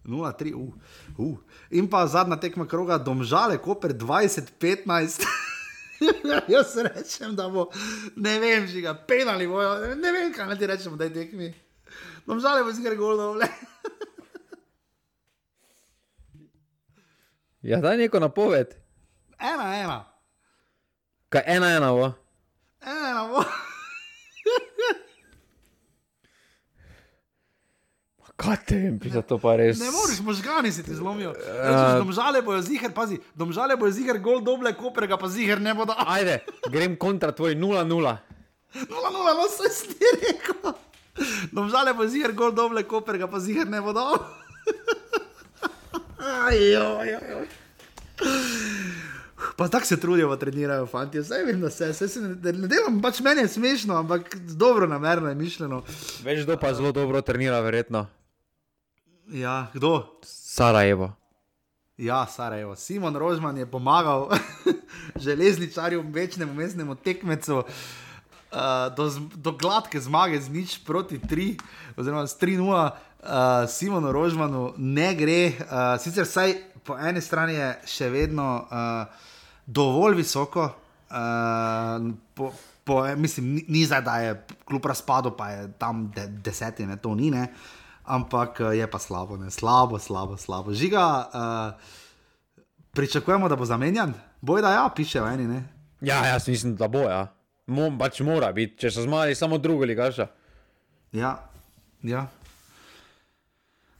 nula tri, uh, uh. In pa zadnja tekma kroga, Domžale, Koper dvajset petnajst. Jaz rečem, da bo, ne vem, Žiga, penali bojo, ne vem, kaj naj ti rečemo, daj tekmi. Domžale bo zgre gol dole. Ja, daj neko napoved. Ena, ena. Kaj ena, ena, bo? Ena, ena, bo. Kaj te vem, pisa to pa res. Ne moreš, možgani se ti zlomijo. Uh, domžale bojo ziher, pazi, domžale bojo ziher gol doble, Koper ga pa ziher ne bo dal. Ajde, grem kontra tvoj nula nula. nula nula, no se ti rekel. Domžale bojo ziher gol doble, Koper ga pa ziher ne bo dal. Ajoj, ajoj. Pa tako se trudijo, trenirajo fanti. Zdaj vem, da se, se, se ne, ne delam, pač meni je smešno, ampak dobro namerno je mišljeno. Veš, kdo pa zelo dobro trenira, verjetno. Ja, kdo? Sarajevo. Ja, Sarajevo. Simon Rožman je pomagal železničarju, večnemu mestnemu tekmecu uh, do, do gladke zmage z nič proti tri, oziroma s tri nula. Uh, Simonu Rožmanu ne gre. Uh, sicer saj po eni strani je še vedno uh, dovolj visoko, uh, po, po, mislim, ni, ni zdaj, da je klub razpadel, pa je tam de, deseti, ne, to ni, ne. Ampak je pa slabo, ne? slabo, slabo, slabo. Žiga, uh, pričakujemo, da bo zamenjan? Boj, da ja, piše v eni, ne? Ja, jaz mislim, da bo, ja. Mo, pač mora biti, če so zmali samo drugo ligaša. Ja, ja.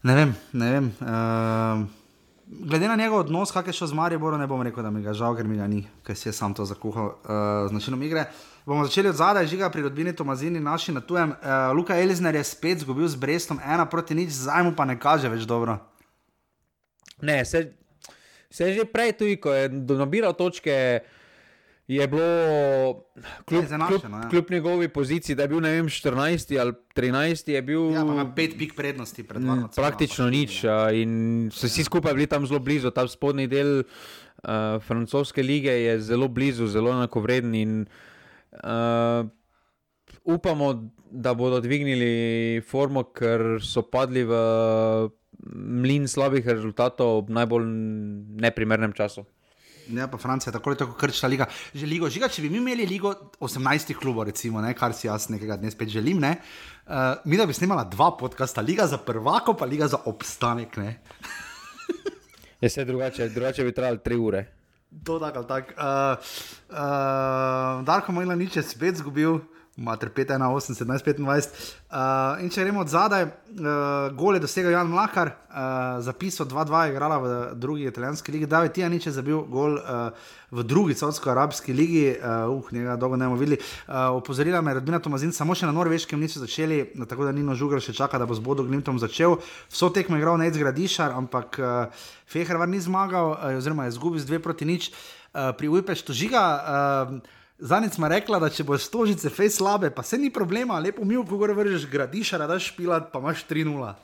Ne vem, ne vem. Uh, glede na njegov odnos, kak je šel z Mariborom, ne bom rekel, da mi ga žal, ker mi ga ni, ker si je sam to zakuhal uh, z načinom igre. Bomo začeli od zadaj, Žiga, pri rodbini Tomazini, naši na tujem. Uh, Luka Elizner je spet zgubil z Brestom, ena proti nič, zdaj mu pa ne kaže več dobro. Ne, se, se že prej tudi, ko je nabiral točke, je bilo kljub, kljub, ja. kljub njegovi poziciji, da je bil, ne vem, štirinajsti ali trinajsti, je bil... Ja, pa ima pet pik prednosti pred varno. Praktično nič uh, in so vsi skupaj bili tam zelo blizu. Ta spodnji del uh, francoske lige je zelo blizu, zelo enakovreden in uh, upamo, da bodo dvignili formo, ker so padli v mlin slabih rezultatov v najbolj neprimernem času. Ja, pa Francija tako ali tako krčila liga. Že ligo, Žiga, če bi mi imeli ligo osemnajstih klubov, recimo, ne, kar si jaz nekega dne spet želim, ne, uh, mi da bi snimala dva podcasta, liga za prvako, pa liga za obstanek, ne. Je se drugače, drugače bi trajali tri ure. To tako ali tako. Uh, uh, Darko Milanič je spet zgubil, mater pet ena osem sedemnajst petindvajset. Uh, in če gremo od zadaj, uh, gol je dosegel Jan Mlakar, uh, zapisal dva dva je igrala v drugi italijanski ligi, David Tijanič je zabil gol uh, v drugi saudsko-arabski ligi, uh, uh, njega dolgo ne bomo videli. Uh, opozorila me rodbina Tomazin, samo še na Norveškem niso začeli, tako da Nino Žugar še čaka, da bo z Bodo Glimtom začel. Vso tekmo je igral Nejc Gradišar, ampak uh, Fehervar ni zmagal, uh, oziroma je izgubil z dve proti nič. Uh, pri Ujpeštu, Žiga, uh, Zanic ma rekla, da če boš stožice fej slabe, pa se ni problema, lepo mi, ko gore vržeš Gradišara, daš špilat, pa imaš tri nula.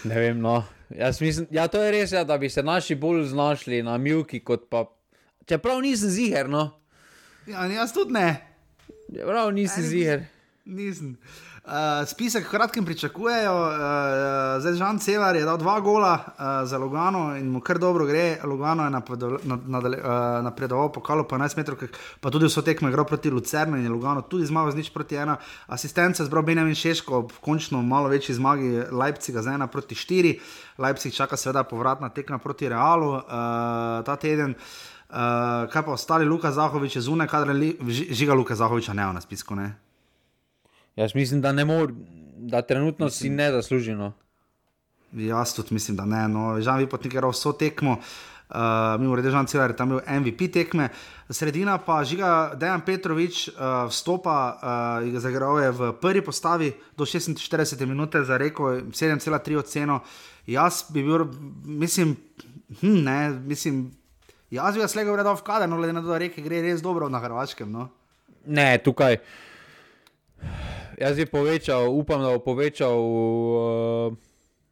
Ne vem, no. Jaz mislim, ja, to je res, ja, da bi se naši bolj znašli na Milki, kot pa... Čeprav nisem ziher, no. Ja, jaz tudi ne. Čeprav nisem ja, ziher. Nisem. Uh, spisek kratkem pričakujejo, uh, zdaj Žan Celar je dal dva gola uh, za Lugano in mu kar dobro gre. Lugano je napredoval, nadale, uh, napredoval pokalo po enajst metrov, pa tudi vso tekmo igral proti Lucernu in je Lugano tudi zmagal z nič proti ena. Asistence zbral Benjamin Šeško ob končno malo večji zmagi Leipziga za ena proti štiri. Leipzig čaka seveda povratna tekma proti Realu uh, ta teden. Uh, kaj pa ostali, Luka Zahovič je zunaj, kadar li, Žiga Luka Zahoviča ne na spisku, ne? Jaz mislim, da ne mor, da trenutno mislim, si ne zasluži, no. Jaz tudi mislim, da ne, no. Žan Vipotnik je igral vso tekmo, uh, mimo rede Žan Celar je tam bil M V P tekme. Sredina pa Žiga Dejan Petrovič uh, vstopa, uh, zaigral je v prvi postavi do šestinštiridesete minute za Reko, sedem cela tri oceno. Jaz bi bil, mislim, hm, ne, mislim, jaz bi ga slega vredal v kader, no, glede na to, da Reke gre res dobro na Hrvaškem, no. Ne, tukaj... Jaz bi povečal, upam, da bo povečal, uh,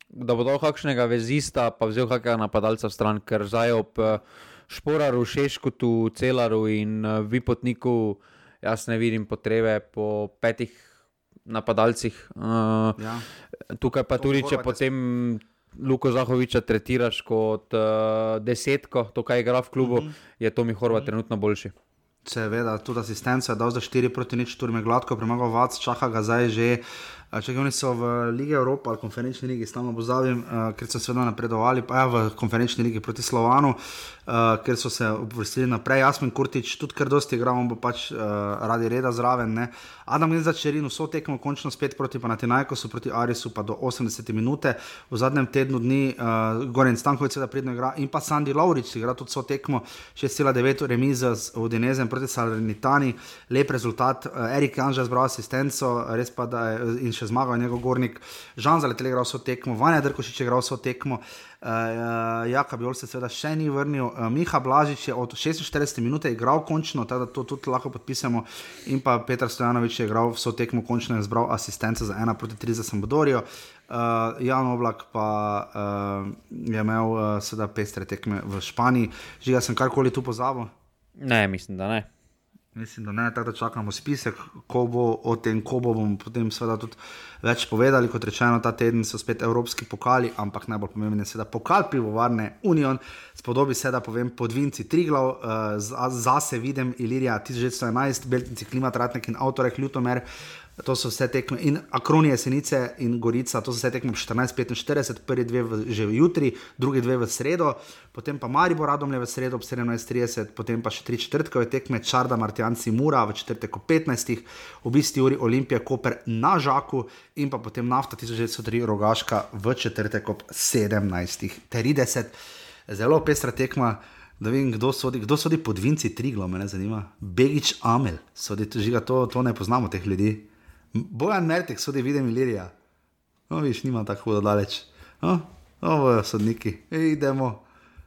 da bo dal kakšnega vezista, pa vzel kakega napadalca v stran, ker zdaj ob uh, Šporaru, Šeškotu, Celaru in uh, Vipotniku jaz ne vidim potrebe po petih napadalcih. Uh, ja. Tukaj pa to tudi, če potem Luko Zahoviča tretiraš kot uh, desetko, to kaj igra v klubu, uh-huh. je Tomi Horvat uh-huh. trenutno boljši. Seveda, tudi asistenco je dal za štiri proti nič, Turme gladko premagal Vac, čaka ga zdaj že. Če oni so v Ligi Evropa ali konferenčni ligi, stalno pozabim, uh, ker so seveda napredovali, pa ja, v konferenčni ligi proti Slovanu, uh, ker so se uvrstili naprej. Jasmin Kurtić tudi kar dosti igra, on bo pač uh, radi reda zraven. Ne? Adam Gnezdačerin vso tekmo končno spet proti Panathinaikosu, proti Arisu pa do osemdesete minute. V zadnjem tednu dni uh, Goran Stanković seveda pridno igra in pa Sandi Lovrić igra tudi vso tekmo, šest cela devet remiza z Udinezem proti Salernitani, lep rezultat. Uh, Erik Janža zbral asistenco, res pa da je in še zmagal njegov Gornik. Žan Zaletel je igral vso tekmo, Vanja Drkošič je igral vso tekmo, uh, Jaka Bijol se seveda še ni vrnil, uh, Miha Blažič je od šestinštiridesete minute igral končno, tako da to tudi lahko podpisamo, in pa Petar Stojanović je igral vso tekmo končno in zbral asistenco za ena proti tri za Sampdorijo. Uh, Jan Oblak pa uh, je imel uh, seveda pestre tekme v Španiji. Žiga, sem karkoli tu pozabil? Ne, mislim, da ne. Mislim, da ne, tako da čakamo spisek, ko bo o tem, ko bo bomo potem seveda tudi več povedali. Kot rečeno, ta teden so spet evropski pokali, ampak najbolj pomemben je seveda pokal Pivovarne Union. Spodobi se, da povem, Podvinci Triglav, uh, zase vidim Ilirija tisoč devetsto enajst, Beltinci Klimat Ratnik in Avtorek Ljutomer. To so vse tekme, in Akronije Senice in Gorica, to so vse tekme štirinajst petinštirideset, prvi dve v, že v jutri, drugi dve v sredo, potem pa Maribor Radomlje v sredo ob sedemnajst trideset, potem pa še tri četrtkove tekme, Čarda Martjanci Mura v četrtek ob petnajstih, ob isti uri Olimpija Koper na Žaku in pa potem Nafta tisoč devetsto tri Rogaška v četrtek ob sedemnajst trideset. Zelo pestra tekma. Da vem, kdo sodi, kdo sodi Podvinci Triglav, me ne zanima. Begić Amel, sodi, žiga, to, to ne poznamo teh ljudi. Bojan Mertek sodi, vidim Ilirija. No, viš, nima tako hudo daleč. No, ovo je sodniki. Ej, idemo.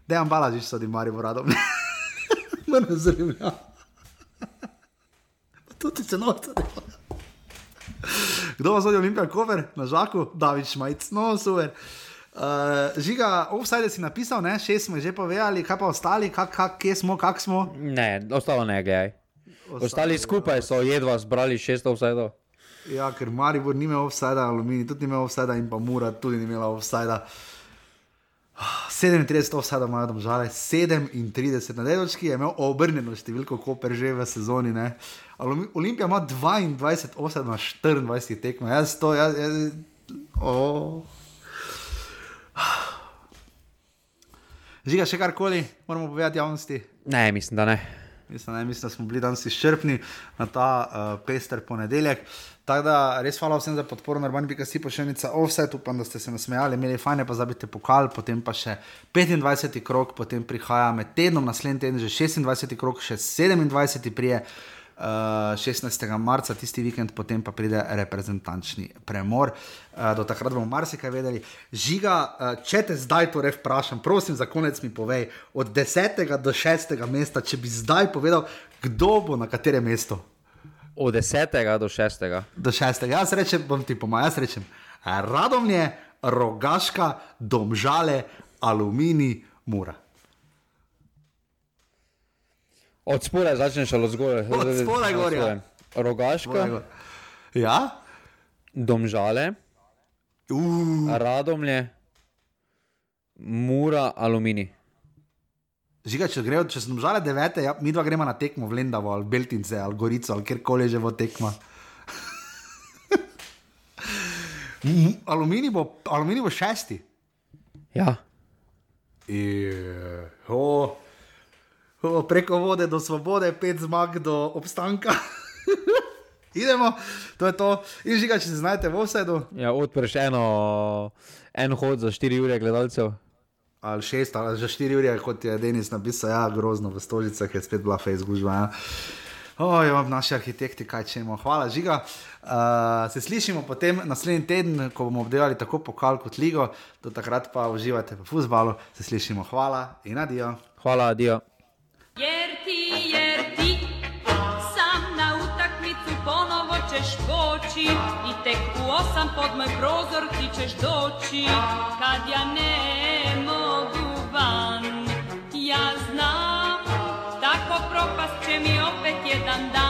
Dejan Balažič sodi Maribor Radomlje. Me ne zanima. Pa tudi se novca dela. Kdo pa sodi Olimpija Koper na Žaku? David Šmajc. No, super. Uh, Žiga, offside si napisal, ne? Šest smo že povedali, kaj pa ostali, kak, kak, kje smo, kak smo? Ne, ostalo ne, gledaj. Ostali skupaj so jedva zbrali šest offside-ov. Ja, ker Maribor ni imel offside, Alumini tudi ni imel offside in pa Mura tudi ni imela offside. sedemintrideset offside imajo Domžale, sedemintrideset na dedočki je imel obrnjeno številko Koper že v sezoni, ne? Olimpija ima dvaindvajset offside na štiriindvajset tekmo. Jaz to, jaz, jaz, oh. Žiga, še karkoli moramo povedati javnosti? Ne, mislim, da ne. Mislim, ne, mislim, da smo bili danes izčrpni na ta uh, pester ponedeljek. Tako da res hvala vsem za podporo na urbani pika si pošiljnica offset, upam, da ste se nasmejali, imeli fajne, pa zabite pokal, potem pa še petindvajseti krog, potem prihaja med tednom, naslednji teden že šestindvajseti krog, še sedemindvajseti prije uh, šestnajstega marca, tisti vikend, potem pa pride reprezentančni premor. Uh, do takrat bomo marsikaj vedeli. Žiga, uh, če te zdaj torej vprašam, prosim za konec mi povej, od desetega do šestega mesta, če bi zdaj povedal, kdo bo na katerem mestu? Od desetega do šestega. Do šestega. Jaz rečem, bom ti pomagal, jaz rečem Radomlje, Rogaška, Domžale, Alumini, Mura. Od spodaj začneš ali od zgoraj? Od spodaj gor, ja. Rogaška, ja? Domžale, uh. Radomlje, Mura, Alumini. Žiga, če grejo, če so Domžale devete, ja, mi dva gremo na tekmo v Lendavo ali Beltince ali Gorico ali kjerkoli že bo tekma. Alumini bo, Alumini bo šesti. Ja. I, oh, oh, preko vode do svobode, pet zmag do obstanka. Idemo, to je to. In Žiga, če se znajete v offsidu. Ja, odpreš eno, en hod za štiri ure gledalcev. Ali šest, ali že štiri ure, kot je Denis napisal, ja, grozno v Stožicah, je spet bila Facebook gužva, ja. Oj, imam naši arhitekti, kaj čemo. Hvala, Žiga. Uh, se slišimo potem naslednji teden, ko bomo obdelali tako pokal kot ligo. Do takrat pa uživajte v fuzbalu. Se slišimo. Hvala in adijo. Hvala, adijo. Jer ti, jer ti, sam na utakmicu ponovo ćeš poći i tek u osam pod moj prozor ti ćeš doći. Kad ja ne mogu van, ja znam, tako propast će mi opet jedan dan.